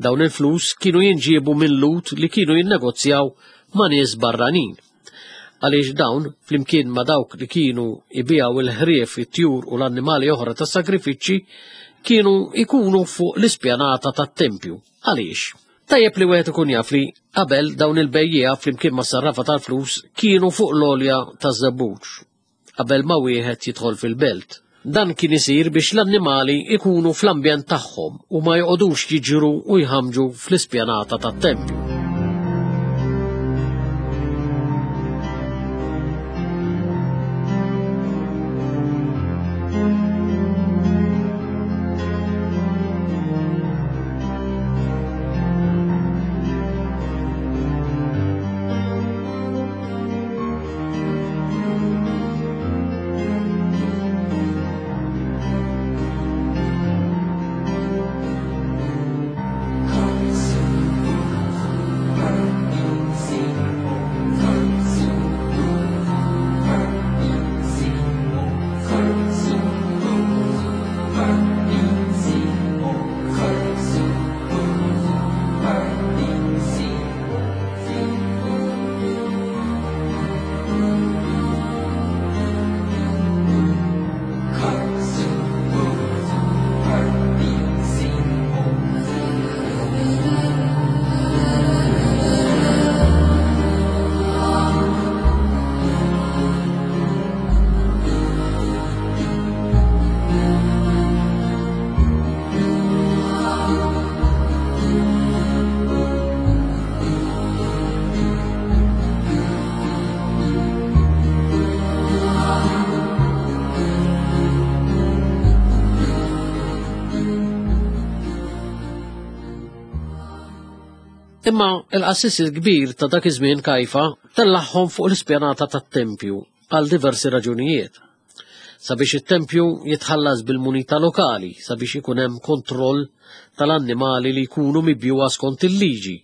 Dawn il-flus kienu jinġiebu minn Lhud li kienu jinnegozjaw ma' nies barranin. Għaliex dawn, flimkien ma' dawk li kienu jbigħu il-ħrief, it-tjur u l-annimali oħra tas-sagrifiċċji, kienu jkunu fuq l-ispjanata tat-tempju. Għaliex? Tajjeb li wieħed ikun jaf li qabel dawn il-bejjiegħa flimkien mas-sarrafa tal-flus kienu fuq l-għolja taż-żebbuġ qabel ma wieħed jidħol fil-belt. Dan kien isir biex l-annimali ikunu fl-ambjent tagħhom u ma joqogħdux jiġru u jħammġu fl-ispjanata tat-tempju. Imma il-qassis il-kbir ta' dak iż-żmien Kajfa tellagħhom fuq l-ispjanata tat-tempju għal diversi raġunijiet. Sabiex it-tempju jitħallas bil-munita lokali, sabiex ikun hemm kontroll tal-annimali li jkunu mibjuha skont il-liġi,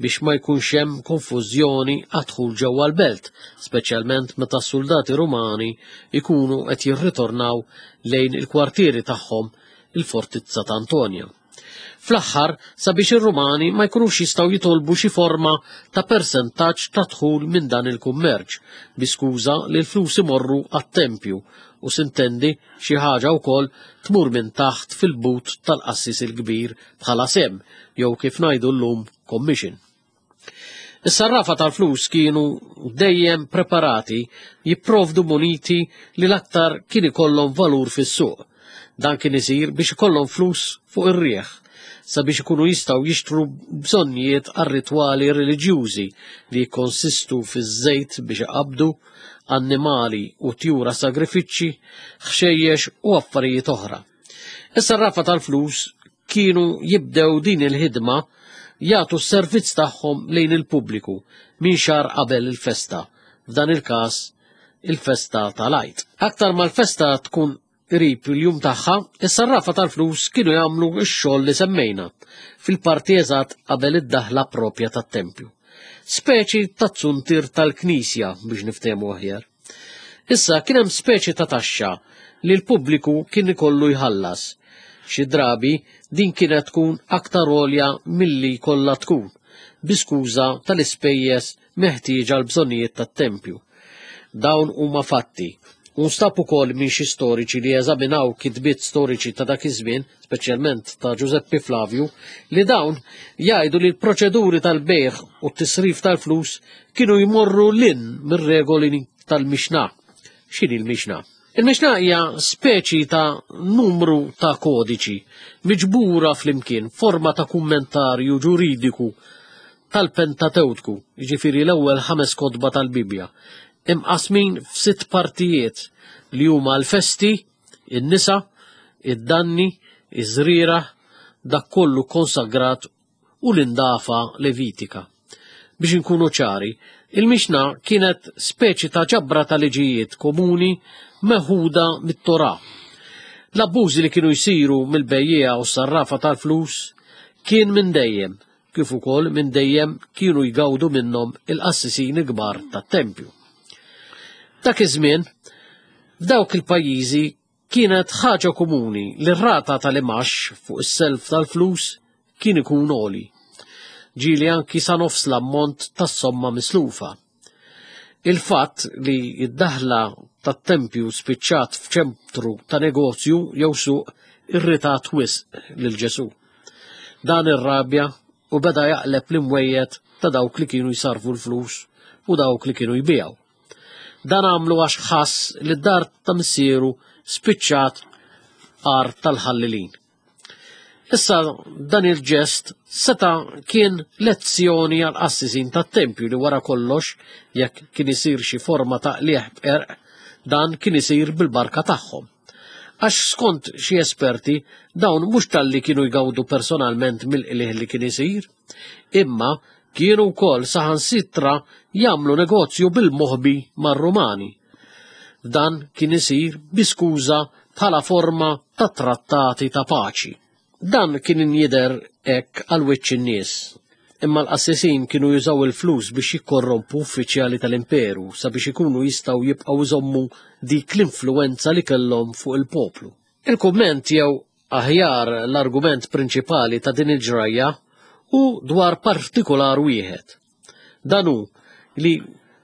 biex ma jkunx hemm konfużjoni għad-dħul ġewwa l-belt, speċjalment meta s-suldati Rumani jkunu qed jirritornaw lejn il-kwartieri tagħhom il-fortizza ta' Antonia. Fl-aħħar, sabiex ir-Rumani ma jkunux jistgħu jitolbu xi forma ta' persentaġġ ta' dħul minn dan il-kummerċ, bi skuża li l-flus imorru għat-tempju u sintendi xi ħaġa wkoll tmur minn taħt fil-but tal-qassis il-kbir bħala sehem jew kif ngħidu llum commission. Is-sarrafa tal-flus kienu dejjem preparati jipprovdu muniti li l-aktar kien ikollhom valur fis-suq. Dan kien isir biex ikollhom flus fuq ir-riħ sabiex ikunu jistgħu jixtru bżonnijiet għar-ritwali reliġjużi li jikkonsistu fiż-żejt biex iqabbdu, annimali u tjura sagrifiċċji, ħxejjex u affarijiet oħra. Is-sarrafa tal-flus kienu jibdew din il-ħidma jagħtu s-servizz tagħhom lejn il-pubbliku minn xahar qabel il-festa, f'dan il-każ il-festa tal-Għid. Aktar ma l-festa tkun qrib il-jum tagħha, is-sarrafa tal-flus kienu jagħmlu x-xogħol li semmejna fil-parti eżatt qabel id-daħla propja tat-tempju. Speċi ta' zuntier tal-knisja biex niftehmu aħjar. Issa kien hemm speċi ta' taxxa li l-pubbliku kien ikollu jħallas. Xi drabi din kienet tkun aktar għolja milli jkollha tkun, bi skuża tal-ispejjeż meħtieġa għall-bżonnijiet tat-tempju. Dawn huma fatti, u nstab ukoll minn xi storiċi li eżaminaw kitbiet storiċi ta' dak iż-żmien, speċjalment ta' Ġużeppi Flavju, li dawn jgħidu li l-proċeduri tal-bejgħ u t-tisrif tal-flus kienu jmorru 'l hinn mir-regoli tal-Mixna. X'inhi l-Mixna? Il-Mixna hija speċi ta' numru ta' kodiċi miġbura flimkien forma ta' kummentarju ġuridiku tal-Pentatewtku, jiġifieri l-ewwel ħames kotba tal-Bibbja, imqasmin f'sitt partijiet li huma l-festi, in-nisa, id-danni, iż-żrieragħ, dak kollu konsagrat u l-indafa Levitika. Biex inkunu ċari, il-Mixna kienet speċi ta' ġabra ta' liġijiet komuni meħuda mit-Torah. L-abbużi li kienu jsiru mill-bejjiegħa u s-sarrafa tal-flus kien minn dejjem, kif ukoll minn dejjem kienu jgawdu minnhom il-qassisin kbar tat-tempju. Dak iż-żmien, f'dawk il-pajjiżi kienet ħaġa komuni li r-rata tal-imax fuq is-self tal-flus kien ikun għoli. Ġieli anki sa nofs l-ammont tas-somma mislufa. Il-fatt li d-daħla tat-tempju spiċċat f'ċentru ta' negozju jew suq irritat wisq lil Ġesù. Dan irrabja u beda jaqleb l-imwejjed ta' dawk li kienu jsarrfu l-flus u dawk li kienu jbigħu. Dan għamlu għax ħass li d-dar ta' missieru spiċċat għar tal-ħallilin. Issa dan il-ġest seta' kien lezzjoni għal qassisin tat-tempju li wara kollox jekk kien isir xi forma ta' qligħ b'qerq, dan kien isir bil-barka tagħhom. Għax skont xi esperti dawn mhux talli kienu jgawdu personalment mill-qligħ li kien isir, imma kienu wkoll saħansitra jagħmlu negozju bil-moħbi mar-Rumani. Dan kien isir bi skuża bħala forma ta' trattati ta' paċi. Dan kien jidher hekk għal wiċċ in-nies, imma l-qassisin kienu jużaw il-flus biex jikkorrompu uffiċjali tal-imperu sabiex ikunu jistgħu jibqgħu jżommu dik l-influwenza li kellhom fuq il-poplu. Il-kumment jew aħjar l-argument prinċipali ta' din il-ġrajja hu dwar partikular wieħed. Dan hu li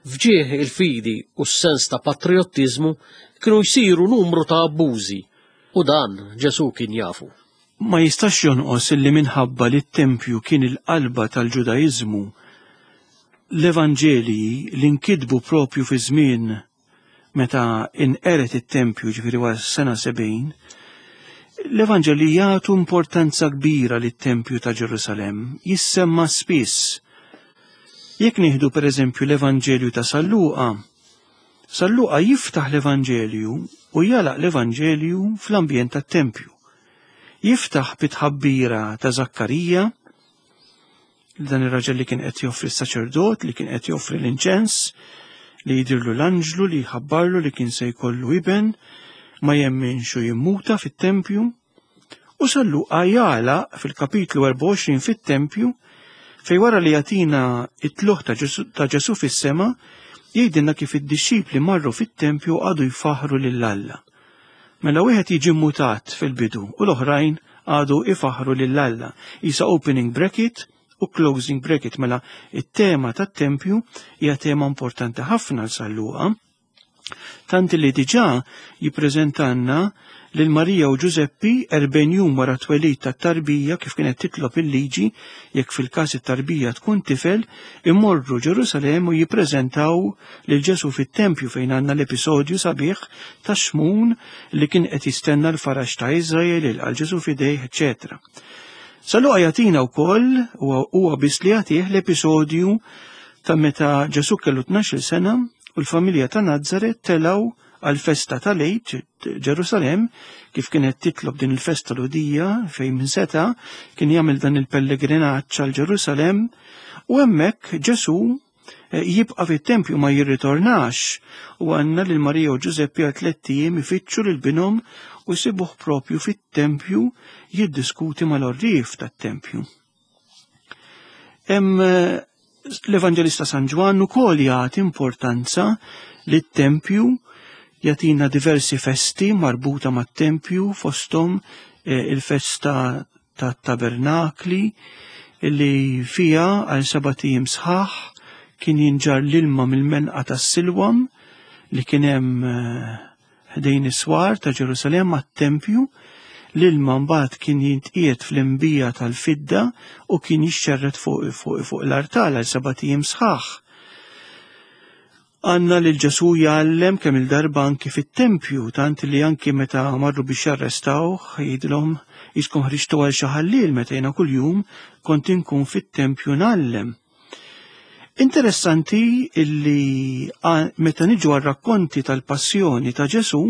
f'ġieħ il-fidi u s-sens ta' patrijottiżmu kienu jsiru numru ta' abbużi u dan Ġesù kien jafu. Ma jistax jonqos illi minħabba li t-tempju kien il-qalba tal-Ġudaiżmu, l-Evanġelji li nkitbu propju fi żmien meta inqered it-tempju, ġifieri wara s-sena 70, l-Evanġelji jagħtu importanza kbira lit-tempju ta' Ġerusalemm, jissemma spiss. Jekk nieħdu pereżempju l-Evanġelju ta' San Luqa, San Luqa jiftaħ l-Evanġelju u jagħlaq l-Evanġelju fl-ambjent tat-tempju. Jiftaħ bit-tħabbira ta' Żakkarija, dan ir-raġel li kien qed joffri s-saċerdot, li kien qed joffri l-inċens, li jidirlu l-anġlu li jħabbarlu li kien se jkollu iben, ma jemminx u jimmuta fit-tempju. U San Luqa jagħlaq fil-kapitlu 24 fit-tempju fej wara li jagħtina it-tluħ ta' Ġesu fis-sema, jgħidilna kif id-dixxipli marru fit-tempju għadu jfaħru lil Alla. Mela wieħed jiġi mutat fil-bidu u l-oħrajn qagħdu ifaħħru lil Alla. Isa opening bracket u closing bracket mela it-tema tat-tempju hija tema importanti ħafna għal San Luqa. Tant li diġà jippreżentanna lil Marija u Ġużeppi 40 jum wara twelid tat-tarbija kif kienet titlob il-liġi jekk fil-każ it-tarbija tkun tifel, imorru Ġerusalemm u jippreżentaw lil Ġesù fit-tempju fejn għandna l-episodju sabiħ ta' Xmun li kien qed jistenna l-faraġ ta' Iżrael, ilqa' Ġesù f'idejh, eċċetera. San Luqa jagħtina wkoll huwa biss li jagħtih l-episodju ta' meta Ġesù kellu 12-il sena u l-familja ta' Nazaret telgħu għall-festa tal-Għid Ġerusalemm kif kienet titlob din il-festa Lhudija fejn min seta' kien jagħmel dan il-pellegrinaġġ għal Ġerusalemm u hemmhekk Ġesù eh, jibqa' fit-tempju ma jirritornax u għandna lil Marija u Ġużeppi għal tlett ijiem ifittxu lil binhom u jsibuh propju fit-tempju jiddiskuti mal-għorrief tat-tempju. Hemm eh, l-Evanġelista San Ġwann ukoll jagħti importanza lit-tempju jagħtina diversi festi marbuta mat-tempju fosthom eh, il-festa tat-tabernakli li fija għal sebat ijiem sħaħ kien jinġar l-ilma mill-menqa tas-Silwam li kien hemm eh, Ħdejn is-swar ta' Ġerusalemm għat-tempju, l-ilma mbagħad kien jintqiegħed fl-inbija tal-fidda u kien jixxerred fuq fuq fuq l-artal għal sebat ijiem sħaħ. Għandna lil Ġesù jgħallem kemm il-darba anki fit-tempju, tant li anki meta marru biex jarrestawh jgħidilhom jiskom ħriġtu għal xi ħalliel meta jiena kuljum kont inkun fit-tempju ngħallem. Interessanti illi meta niġu għar-rakkonti tal-passjoni ta' Ġesù,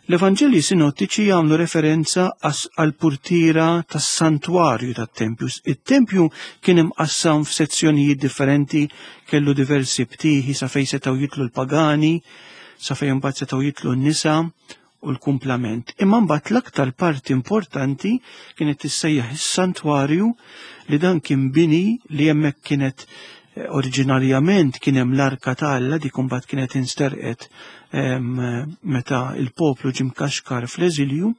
l-Evanġelji sinottiċi jagħmlu referenza għall-purtiera tas-santwarju tat-tempju. It-tempju kien imqassam f'sezzjonijiet differenti, kellu diversi btieħi sa fejn setgħu jitlu l-pagani, sa fejn imbagħad setgħu jitlu n-nisa u l-kumplament. Imma mbagħad l-aktar parti importanti kienet tissejjaħ is-santwarju li dan kien bini li hemmhekk kienet eh, oriġinarjament kien hemm l-arka ta' Alla dik imbagħad kienet insterqet meta il-poplu ġie mkaxkar fl-eżilju.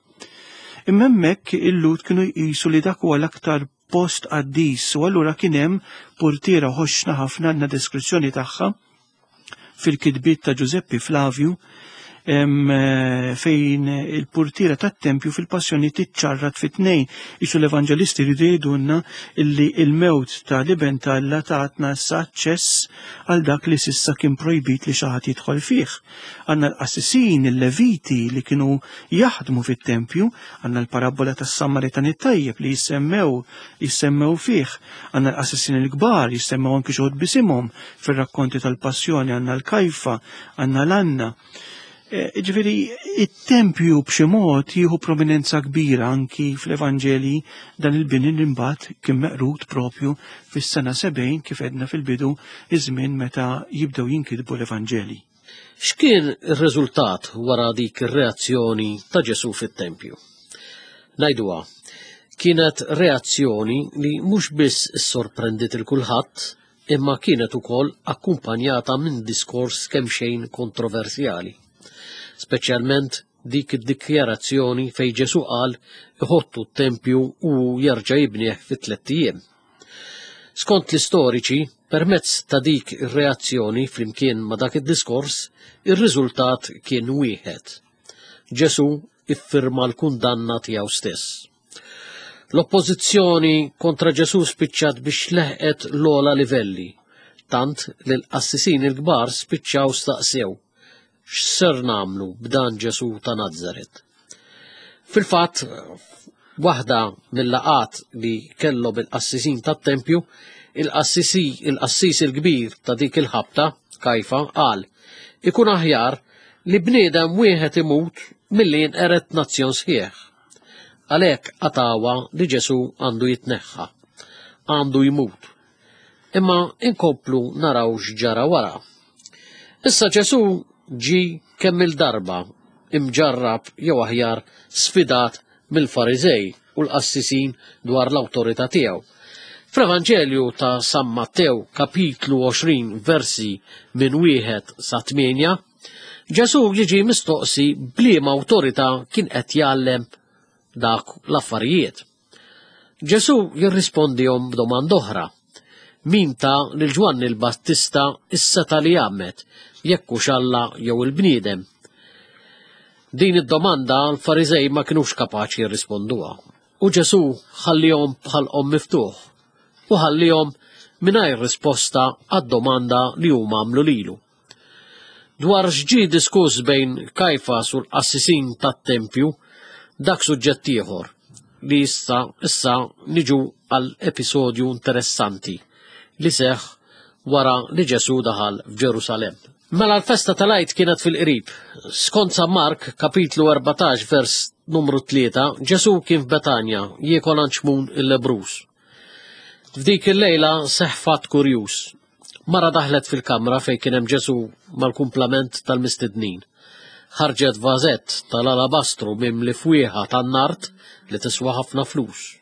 Imma hemmhekk il-Lhud kienu jqisu li dak huwa l-aktar post qaddis u allura kien hemm purtiera ħoxna ħafna għandna deskrizzjoni tagħha fil-kitbiet ta' Ġużeppi Flavju Eh, fejn il-purtiera tat-tempju fil-passjoni tiċċarrat fit-tnejn. Isu l-evanġelisti rridu jgħidulna illi il-mewt ta' l-iben t'Alla tatna issa aċċess għal dak li sissa kien projbit li xi ħadd jidħol fih. Għandna l-qassisin, il-leviti li kienu jaħdmu fit-tempju, għandna l-parabbola tas-Samaritan it-tajjeb li jissemmew jissemmew fih, għandna l-qassisin il-kbar jissemmew anki xi bisimhom fir-rakkonti tal-passjoni, għandna l-Kajfa, għandna l-Anna. E, ġifieri, it-tempju b'xi mod jieħu prominenza kbira anki fl-Evanġeli dan il-bini li mbagħad kien meqrud propju fis-sena 70 kif edna fil-bidu iż-żmien meta jibdew jinkitbu l-Evanġeli. X'kien ir-riżultat wara dik ir-reazzjoni ta' Ġesù fit-tempju? Ngħiduha, kienet reazzjoni li mhux biss issorprendiet il kulħadd, imma kienet ukoll akkumpanjata minn diskors kemxejn kontroversjali. Speċjalment dik id-dikjarazzjoni fejn Ġesù qal iħottu t-tempju u jerġa' jibnieh fi tlett ijiem. Skont l-istoriċi, permezz ta' dik ir-reazzjoni flimkien ma' dak id-diskors, ir-riżultat kien wieħed. Ġesù iffirma l-kundanna tiegħu stess. L-oppożizzjoni kontra Ġesù spiċċat biex leħqet l-ogħla livelli, tant li l-qassisin il-kbar spiċċaw staqsew x'ser nagħmlu b'dan Ġesù ta' Nazaret. Fil-fatt, waħda mill-laqat li kellhom il-qassisin tat-tempju, il-qassisi il-qassis il-kbir ta' dik il-ħabta, Kajfa, qal, ikun aħjar li bniedem wieħed imut milli jinqered nazzjon sħiħ. Għalhekk qatgħuha li Ġesù għandu jitneħħa, għandu jmut. Imma inkomplu naraw x'ġara wara. Issa Ġesù ġi kemm il-darba imġarrab jew aħjar sfidat mill-Fariżej u l-qassisin dwar l-awtorità tiegħu. Fl-Evanġelju ta' San Mattew kapitlu 20 versi minn wieħed sa 8, Ġesù jiġi mistoqsi b'liema awtorità kien qed jgħallem dak l-affarijiet. Ġesù jirrispondihom b'domanda oħra. Min ta lil Ġwanni l-Battista s-setgħa li jgħammed, jekk hux Alla jew il-bniedem? Din id-domanda l-Fariżej ma kinux kapaċi jirrisponduha. U Ġesù ħallihom bħalqhom miftuħ u ħallihom mingħajr risposta għad-domanda li huma għamlu lilu. Dwar x'ġie diskuss bejn Kajfas u l-qassisin tat-tempju, dak suġġett ieħor li issa issa niġu għal episodju interessanti li seħħ wara li Ġesù daħal f'Ġerusalemm. Mela l-festa tal-Għid kienet fil-qrib. Skont San Mark, kapitlu 14, vers numru 3, Ġesù kien f'Betanja jiekol għand Xmun il-lebbruż. F'dik il-lejla seħħ fatt kurjuż. Mara daħlet fil-kamra fejn kien hemm Ġesù mal-kumplament tal-mistednin. Ħarġet vażett tal-alabastru mimli fwieħa tan-nard li tiswa ħafna flus.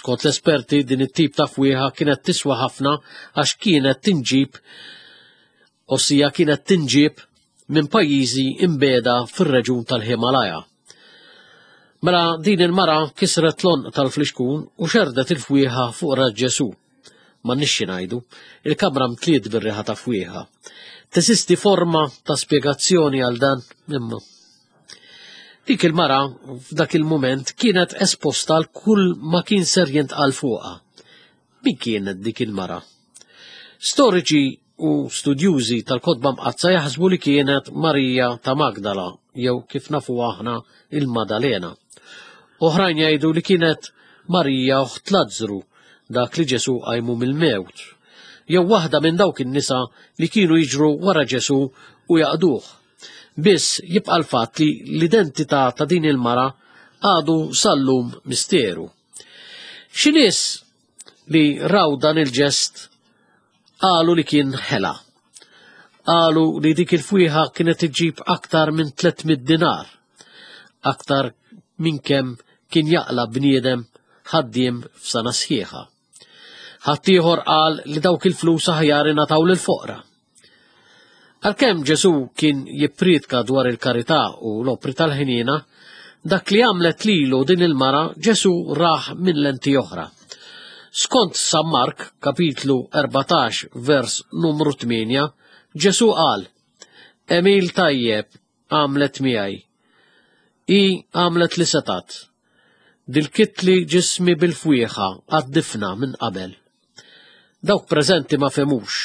Skont l-esperti din it-tip ta' fwieħa kienet tiswa ħafna għax kienet tinġib ossia kienet tinġib minn pajjiżi imbeda fir-reġun tal-Himalaja. Mela din il-mara kisret l-onq tal-flixkun u xerdet il-fwieħa fuq ras Ġesù. M'għandniex xi ngħidu, il-kamra mtliet bir-riħa ta' fwieħa. Teżisti forma ta' spjegazzjoni għal dan imma. Dik il-mara f'dak il-mument kienet esposta għal kull ma kien ser jintqal fuqha. Min kienet dik il-mara? Storiċi u studjużi tal-kotba mqaddsa jaħsbu li kienet Marija ta' Magdala jew kif nafu aħna il-Madalena. Oħrajn jgħidu li kienet Marija oħt Lazzru, dak li Ġesù qajmu mill-mewt, jew waħda minn dawk in-nisa li kienu jiġru wara Ġesù u jaqduh. Biss jibqa' l-fatt li l-identità ta' din il-mara għadu sal-lum misteru. Xi nies li raw dan il-ġest qalu li kien ħela. Qalu li dik il-fwieħa kienet iġġib aktar minn 300 dinar, aktar minn kemm kien jaqla bniedem ħaddiem f'sena sħiħa. Ħaddieħor qal li dawk il-flus aħjar ingħataw lill-foqra. Għalkemm Ġesù kien jippriedka dwar il-karità u l-opri tal-ħniena, dak li għamlet lilu din il-mara Ġesù rah minn lenti oħra. Skont San Mark, kapitlu 14, vers numru 8, Ġesù qal, Għemil tajjeb għamlet miegħi. Hi għamlet li setgħet. Dilkitli ġismi bil-fwieħa għad-difna minn qabel. Dawk preżenti ma fehmux.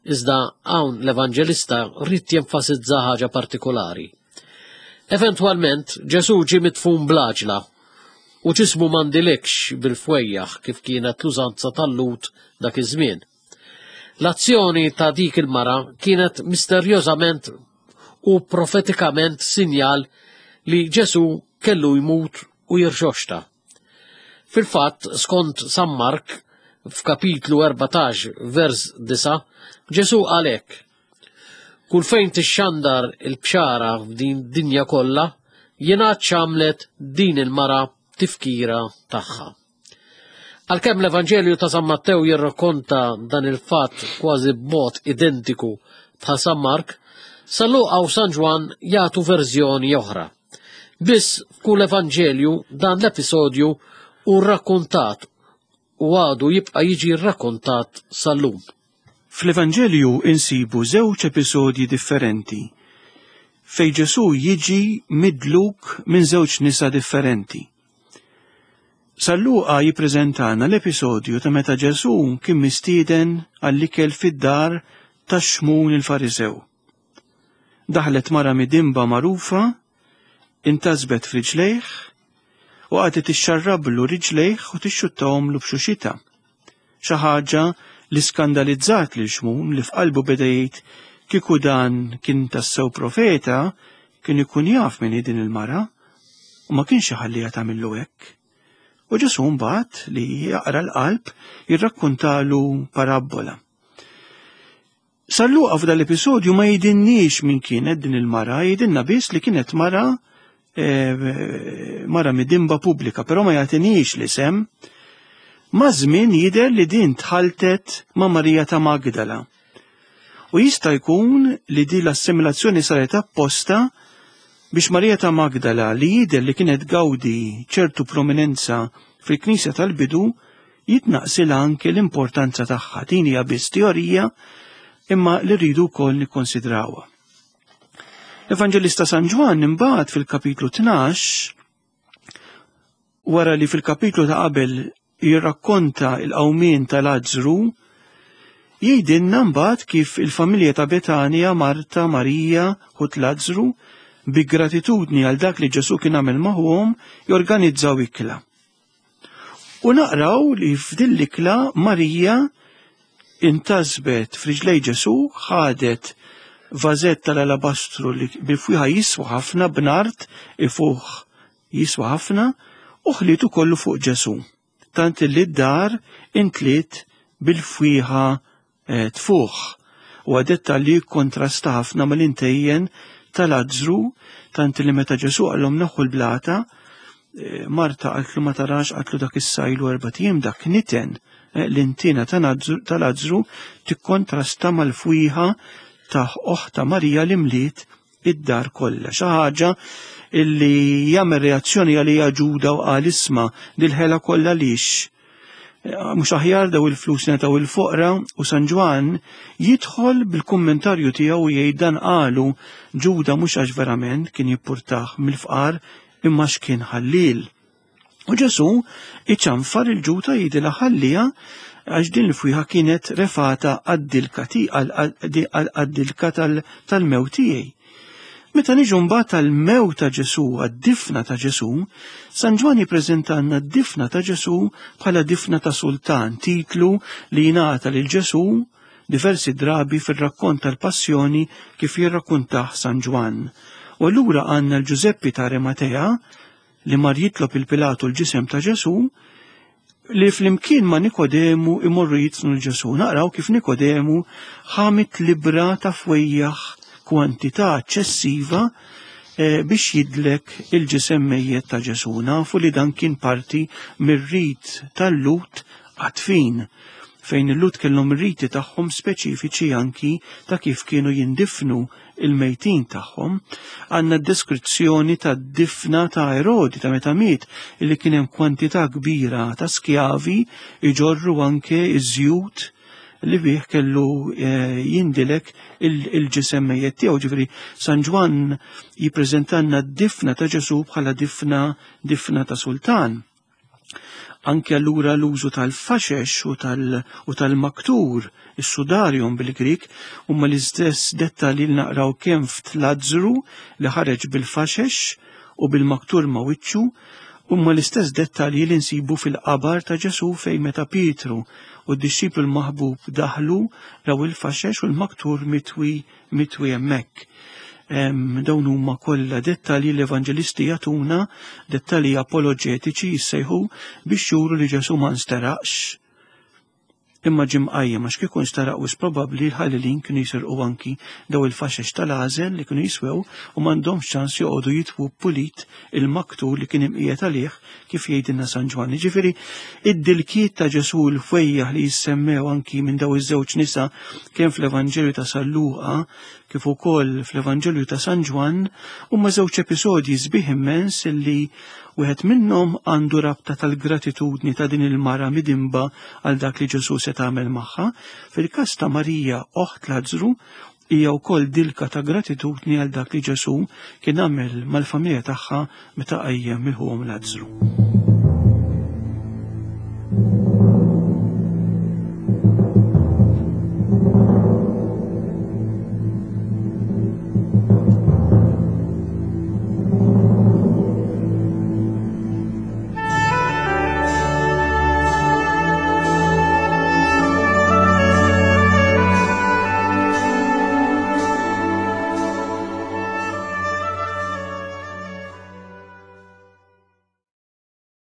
Iżda hawn l-Evanġelista ried jenfasizza ħaġa partikolari. Eventwalment, Ġesù ġie midfun bl-għaġla u ġismu ma ndilikx bil-fwejjaħ kif kienet l-użanza tal-Lhud dak iż-żmien. L-azzjoni ta' dik il-mara kienet misterjożament u profetikament sinjal li Ġesù kellu jmut u jirxoxta. Fil-fatt, skont San Mark, f'kapitlu 14, vers 9, Ġesù qal hekk, Kull fejn tixxandar il-bxara f'din dinja kollha, jingħad x'għamlet din il-mara tifkira tagħha. Għalkemm l-Evanġelju ta' San Mattew jirrakkonta dan il-fatt kważi b'mod identiku bħal San Mark, San Luqa u San Ġwann jagħtu verżjoni oħra. Biss f'kull Evanġelju dan l-episodju hu rrakkontat u għadu jibqa' jiġi rrakkontat sal-lum. Fl-Evanġelju insibu żewġ episodji differenti fejn Ġesù jiġi midluk minn żewġ nisa differenti. San Luqa jippreżentana l-episodju ta' meta Ġesù kien mistieden għall-ikel fid-dar ta' Xmun il-Fariżew. Daħlet mara midinba magħrufa, intasbet f'riġlejh u qagħdet tixxarrablu riġlejh u tixxuttahomlu b'xuxitha. Xi ħaġa li skandalizzat lil Xmun li f'qalbu beda jgħid kieku dan kien tassew profeta kien ikun jaf min hi din il-mara u ma kienx iħalliha tagħmillu hekk. U Ġesù mbagħad li jaqra l-qalb jirrakkuntalu parabbola. San Luqa f'dan l-episodju ma jidinniex min kienet din il-mara, jidinna biss li kienet mara eh, mara midimba pubblika, però ma jagħtinix l-isem. Ma' żmien jidher li din tħaltet ma' Marija ta' Magdala. U jista' jkun li din l-assimilazzjoni saret apposta Biex Marija ta' Magdala li jidher li kienet gawdi ċertu prominenza fil-Knisja tal-bidu jitnaqsilha anke l-importanza tagħha. Din hija biss teorija imma li rridu wkoll nikkonsidrawha. L-Evanġelista San Ġwann imbagħad fil-kapitlu 12 wara li fil-kapitlu ta' qabel jirrakkonta l-qawmien ta' Lazzru, jgħidilna mbagħad kif il-familja ta' Betanja, Marta, Marija, ħut Lazzru, bi gratitudni għal dak li Ġesù kien għamel magħhom, jorganizzaw ikla. U naqraw li f'din l-ikla Marija intasbet f'riġlej Ġesù, ħadet vażett tal-alabastru li bil-fwieħa jiswa ħafna b'nard ifuħ jiswa ħafna u ħlietu kollu fuq Ġesù. Tant li d-dar intliet bil-fwieħa eh, tfuħ. U għadetta li kontrasta ħafna mal-intejjen tal-azzru, tant li meta Ġesù għallhom naħu l-blata, eh, Marta qaltlu ma tarax qaltlu dak is-sajlu erba' ijiem dak niten eh, l-intina tal-azzru tikkontrasta mal-fwieħa ta' oħta Marija li mliet id-dar kollha. Xi ħaġa illi jagħmel reazzjoni għalija Ġuda u qal isma' dil-ħela kollha lix. Eh, mhux aħjar daw il-flus netaw il-foqra u San Ġwann jidħol bil-kummentarju tiegħu jgħid dan qalu Ġuda mhux għax verament kien jippurtah mill-fqar imma x'kien ħallil. U Ġesù iċanfar il-ġuta jgħidilha ħallija għax din il-fwieħa kienet refata għad-dilka tal-mewt tiegħi. Meta niġu mbagħad tal-mewt ta' Ġesù, għad-difna ta' Ġesù, San Ġwann jippreżentanna d-difna ta' Ġesù bħala difna ta' sultan, titlu li jingħata lil Ġesù diversi drabi fir-rakkont tal-Passjoni kif jirrakkuntah San Ġwann. U allura għandna l-Ġużeppi ta' Arimatea li mar jitlob il-Pilatu l-ġisem ta' Ġesù, li flimkien ma' Nikodemu imorru jitnu l-Ġesù. Naqraw kif Nikodemu ħamit libra ta' fwejjaħ kwantità eċċessiva eh, biex jidlek il-ġisem mejjet ta' Ġesù. Nafu li dan kien parti mir-rit tal-Lut għatfin fejn il-Lut kellhom riti tagħhom speċifiċi anki ta' kif kienu jindifnu il-mejtin tagħhom, għandna deskrizzjoni tad-difna ta' Erodi ta' meta miet illi kien hemm kwantità kbira ta' skjavi iġorru anke iż-żjut li bih kellu eh, jindilek il-ġisem mejjet tiegħu. Ġifieri San Ġwann jippreżentanna d-difna ta' Ġesù bħala difna difna ta' sultan. Anke allura l-użu tal-faxex u tal-maktur, is-sudarium bil-Grieg, huma l-istess dettalji li naqraw kemm f'Tlazzru li ħareġ bil-faxex u bil-maktur ma' wiċċu, huma l-istess dettalji li nsibu fil-qabar ta' Ġesù fejn meta Pietru u d-dixxiplu l-maħbub daħlu raw il-faxex u l-maktur mitwi mitwi hemmhekk. Dawn huma kollha dettalji l-evanġelisti jagħtuna, dettalji apoloġetiċi jissejħu biex juru li Ġesù ma nsteraqx imma ġie mqajjem għax kieku nsteraq wis probabbli l-ħallelin kienu jisirqu anki daw il-faxex tal-għażel li kienu jiswew u m'għandhomx ċans joqogħdu jitwu pulit il-maktur li kien imqiegħed għalih kif jgħidilna San Ġwann. Jiġifieri id-dilkiet ta' Ġesù l-fwejjaħ li jissemmew anki minn daw iż-żewġ nisa kemm fl-Evanġelju ta' San Luqa kif ukoll fl-Evanġelju ta' San Ġwann huma żewġ episodji sbieħ immens illi wieħed minnhom għandu rabta tal-gratitudni ta' din il-mara midinba għal dak li Ġesù se tagħmel magħha. Fil-każ ta' Marija oħt Lazzru hija wkoll dilka ta' gratitudni għal dak li Ġesù kien għamel mal-familja tagħha meta qajjem il-ħuhom Lazzru.